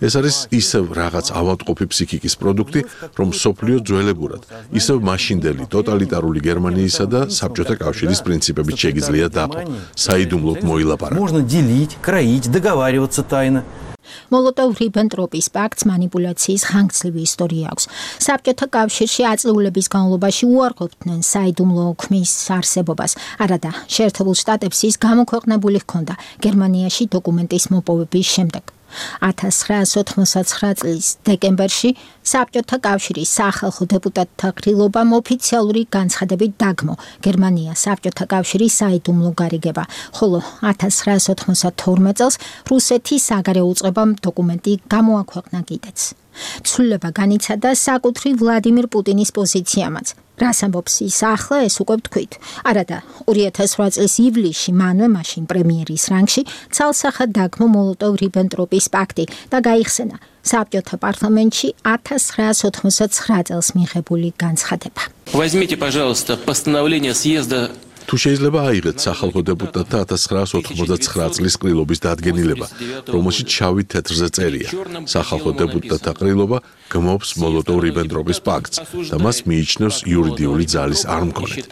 Speaker 14: ეს არის ისევ რაღაც ავადმყოფი ფსიქიკის პროდუქტი, რომ სოფლიო ძველებურად, ისევ მაშინდელი ტოტალიტარული გერმანიისა და საბჭოთა კავშირის პრინციპი შეიძლება დაყო, საიდუმლოდ მოილაპარაკო.
Speaker 12: Можно делить, кроить, договариваться тайно.
Speaker 4: მოლოტოვ-რიბენტროპის პაქტს манипуляციის ხანგრძლივი ისტორია აქვს. საბჭოთა კავშირში აწლეულების განმავლობაში უარყოფდნენ საიდუმლო ოქმის არსებობას. არადა შეერთებულ შტატებს ის გამოქვეყნებული ჰქონდა გერმანიაში დოკუმენტის მოპოვების შემდეგ. ათას ცხრაასი ოთხმოცდათცხრა წლის დეკემბერში საბჭოთა კავშირის სახალხო დეპუტატთა ყრილობამ ოფიციალური განცხადებით დაგმო გერმანია საბჭოთა კავშირის საიდუმლო გარიგება, ხოლო ათას ცხრაასი ოთხმოცდათორმეტ წელს რუსეთის საგარეო უწყებამ დოკუმენტი გამოაქვეყნა კიდეც. ცვლილება განიცადა საკუთრივ ვლადიმირ პუტინის პოზიციამაც. რას ამბობს ის ახლა, ეს უკვე ვთქვით. არადა ორი ათას რვა წლის ივლისში მანვე მაშინ პრემიერის რანგში ცალსახად დაგმო მოლოტოვ-რიბენტროპის პაქტი და გაიხსენა საბჭოთა პარლამენტში ათას ცხრაასი ოთხმოცდათცხრა წელს მიღებული განცხადება.
Speaker 9: Возьмите, пожалуйста, постановление съезда.
Speaker 5: თუ შეიძლება აიღეთ სახალხო დეპუტატთა ათას ცხრაასი ოთხმოცდათცხრა წლის ყრილობის დადგენილება, რომელშიც შავი თეთრზე წერია. სახალხო დეპუტატთა ყრილობა გმობს მოლოტოვ-რიბენტროპის პაქტს და მას მიიჩნევს იურიდიული ძალის არ მქონედ.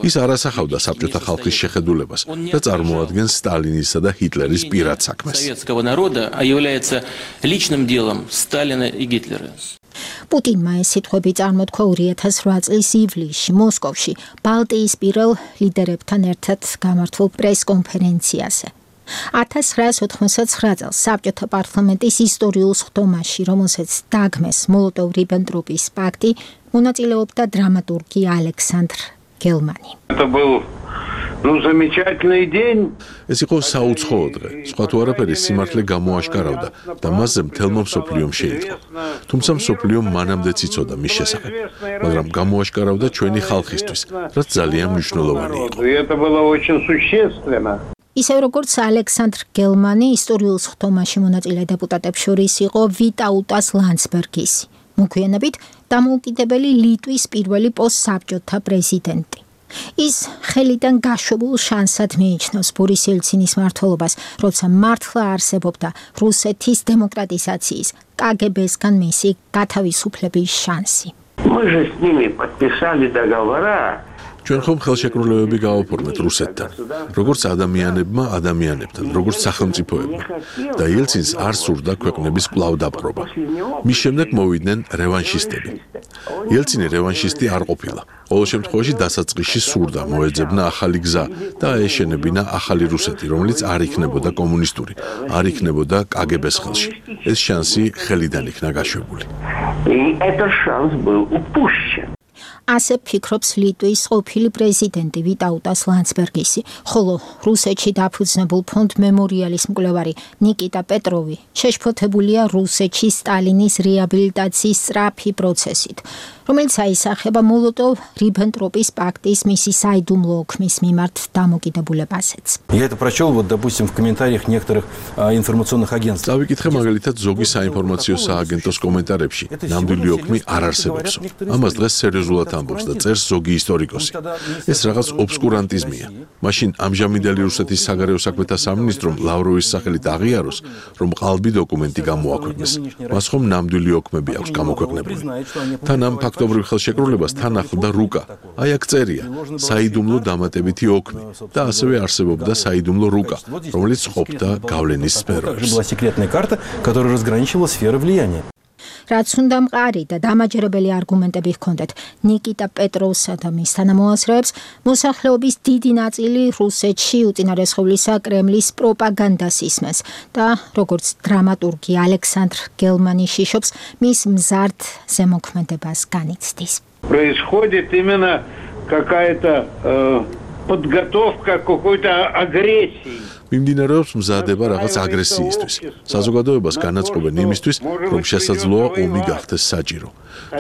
Speaker 5: ის არ ასახავდა საბჭოთა ხალხის შეხედულებას და წარმოადგენს სტალინისა და ჰიტლერის პირად საქმეს.
Speaker 9: Советского народа, а является личным делом Сталина и Гитлера.
Speaker 4: პუტინმა ეს სიტყვები წარმოთქვა ორი ათას რვა წლის ივლისში მოსკოვში ბალტიისპირელ ლიდერებთან ერთად გამართულ პრესკონფერენციაზე. ათას ცხრაასი ოთხმოცდათცხრა წელს საბჭოთა პარლამენტის ისტორიულ სხდომაში, რომელსაც დაგმეს მოლოტოვ-რიბენტროპის პაქტი, მონაწილეობდა დრამატურგი ალექსანდრ გელმანი.
Speaker 7: Ну, замечательный день.
Speaker 5: ეს იყო საუცხოო დღე. სხვა თუ არაფერი სიმართლე გამოაშკარავდა და მასზე მთელმა მსოფლიომ შეიტყო. თუმცა მსოფლიომ მანამდეც იცოდა მის შესახებ, მაგრამ გამოაშკარავდა ჩვენი ხალხისთვის, რაც ძალიან მნიშვნელოვანი იყო.
Speaker 7: Это было очень существенно.
Speaker 4: ისევ როგორც ალექსანდრ გელმანი, ისტორიულ სხდომაში მონაწილე დეპუტატებს შორის იყო ვიტაუტას ლანდსბერგისი, მოგვიანებით დამოუკიდებელი ლიტვის პირველი პოსტსაბჭოთა პრეზიდენტი. ის ხელიდან გაშვებულ შანსად მიიჩნევს ბორის ელცინის მმართველობას, როცა მართლა არსებობდა რუსეთის დემოკრატიზაციის კაგებესგან მისი გათავისუფლების შანსი.
Speaker 7: Мы же с ними подписали договора.
Speaker 5: ჩვენ ხომ ხელშეკრულებები გავაფორმეთ რუსეთთან, როგორც ადამიანებმა ადამიანებთან, როგორც სახელმწიფოებმა და ელცინს არ სურდა ქვეყნების კვლავ დაპყრობა. მის შემდეგ მოვიდნენ რევანშისტები. ელცინი რევანშისტი არ ყოფილა. ყოველ შემთხვევაში დასაწყისში სურდა მოეძებნა ახალი გზა და აეშენებინა ახალი რუსეთი, რომელიც არ იქნებოდა კომუნისტური, არ იქნებოდა კაგებეს ხელში. ეს შანსი ხელიდან იქნა გაშვებული.
Speaker 7: Этот шанс был упущен.
Speaker 4: ასე ფიქრობს ლიტვის ყოფილი პრეზიდენტი ვიტაუტას ლანდსბერგისი, ხოლო რუსეთში დაფუძნებულ ფონდ მემორიალის მკვლევარი ნიკიტა პეტროვი შეშფოთებულია რუსეთში სტალინის რეაბილიტაციის სწრაფი პროცესით, რომელიც აისახება მოლოტოვ-რიბენტროპის პაქტის მისი საიდუმლო ოქმის მიმართ დამოკიდებულებაზეც.
Speaker 12: Я это прочел, вот, допустим, в комментариях некоторых а, информационных агентств.
Speaker 5: დავიკითხე მაგალითად ზოგი საინფორმაციო სააგენტოს კომენტარებში, ნამდვილი ოქმი არ არსებობსო. ამას დღეს სერიოზულად ამბობს და წერს ზოგი ისტორიკოსი. ეს რაღაც ობსკურანტიზმია. მაშინ ამჟამინდელი რუსეთის საგარეო საქმეთა სამინისტრომ ლავროვის სახელით აღიაროს, რომ ყალბი დოკუმენტი გამოაქვეყნეს. მას ხომ ნამდვილი ოქმები აქვს გამოქვეყნებული. თან ამ ფაქტობრივ ხელშეკრულებას თან ახლდა რუკა. აი აქ წერია საიდუმლო დამატებითი ოქმი და ასევე არსებობდა საიდუმლო რუკა, რომელიც ყოფდა გავლენის სფეროებს.
Speaker 12: Была секретная карта, которая разграничивала сферы влияния.
Speaker 4: რაც უნდა მყარი და დამაჯერებელი არგუმენტები ჰქონდეთ ნიკიტა პეტროვსა და მის თანამოაზრეებს, მოსახლეობის დიდი ნაწილი რუსეთში უწინარესხევლისა კრემლის პროპაგანდას ისმენს და როგორც დრამატურგი ალექსანდრ გელმანი შიშობს, მის მზარდ ზემოქმედებას განიცდის.
Speaker 7: Происходит именно какая-то э, подготовка к какой-то агрессии.
Speaker 5: მიმდინარეობს მზადება რაღაც აგრესიისთვის. საზოგადოებას განაწყობენ იმისთვის, რომ შესაძლოა ომი გახდეს საჭირო.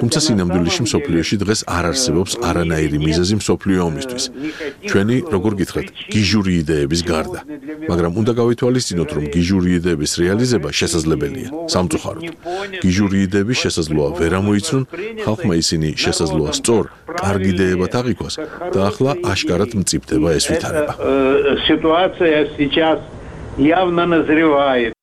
Speaker 5: თუმცა სინამდვილეში მსოფლიოში დღეს არ არსებობს არანაირი მიზეზი მსოფლიო ომისთვის. ჩვენი, როგორ გითხრათ, გიჟური იდეების გარდა. მაგრამ უნდა გავითვალისწინოთ, რომ გიჟური იდეების რეალიზება შესაძლებელია, სამწუხაროდ. გიჟური იდეები შესაძლოა ვერ ამოიცნონ, ხალხმა ისინი შესაძლოა სწორ, კარგ იდეებად აღიქვას და ახლა აშკარად მწიფდება ეს ვითარება.
Speaker 7: Ситуация сейчас явно назревает.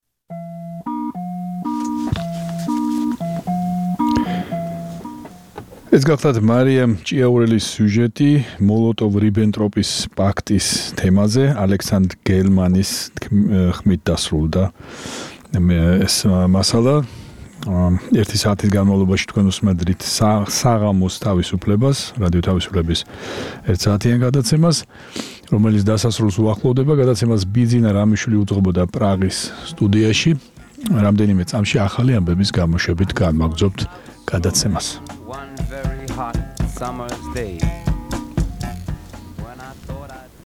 Speaker 2: ეს გახლავთ მარიამ ჭიაურელის სიუჟეტი მოლოტოვ-რიბენტროპის პაქტის თემაზე, ალექსანდრ გელმანის ხმით დასრულდა ეს მასალა. ერთი საათის განმავლობაში თქვენ უსმენთ საღამოს თავისუფლებას, რადიო თავისუფლების ერთ საათიან გადაცემას, რომელიც დასასრულს უახლოვდება. გადაცემას ბიძინა რამიშვილი უძღვებოდა პრაღის სტუდიაში. რამდენიმე წამში ახალი ამბების გამოშვებით განმაგრძობთ გადაცემას.
Speaker 8: One very hot summer's day.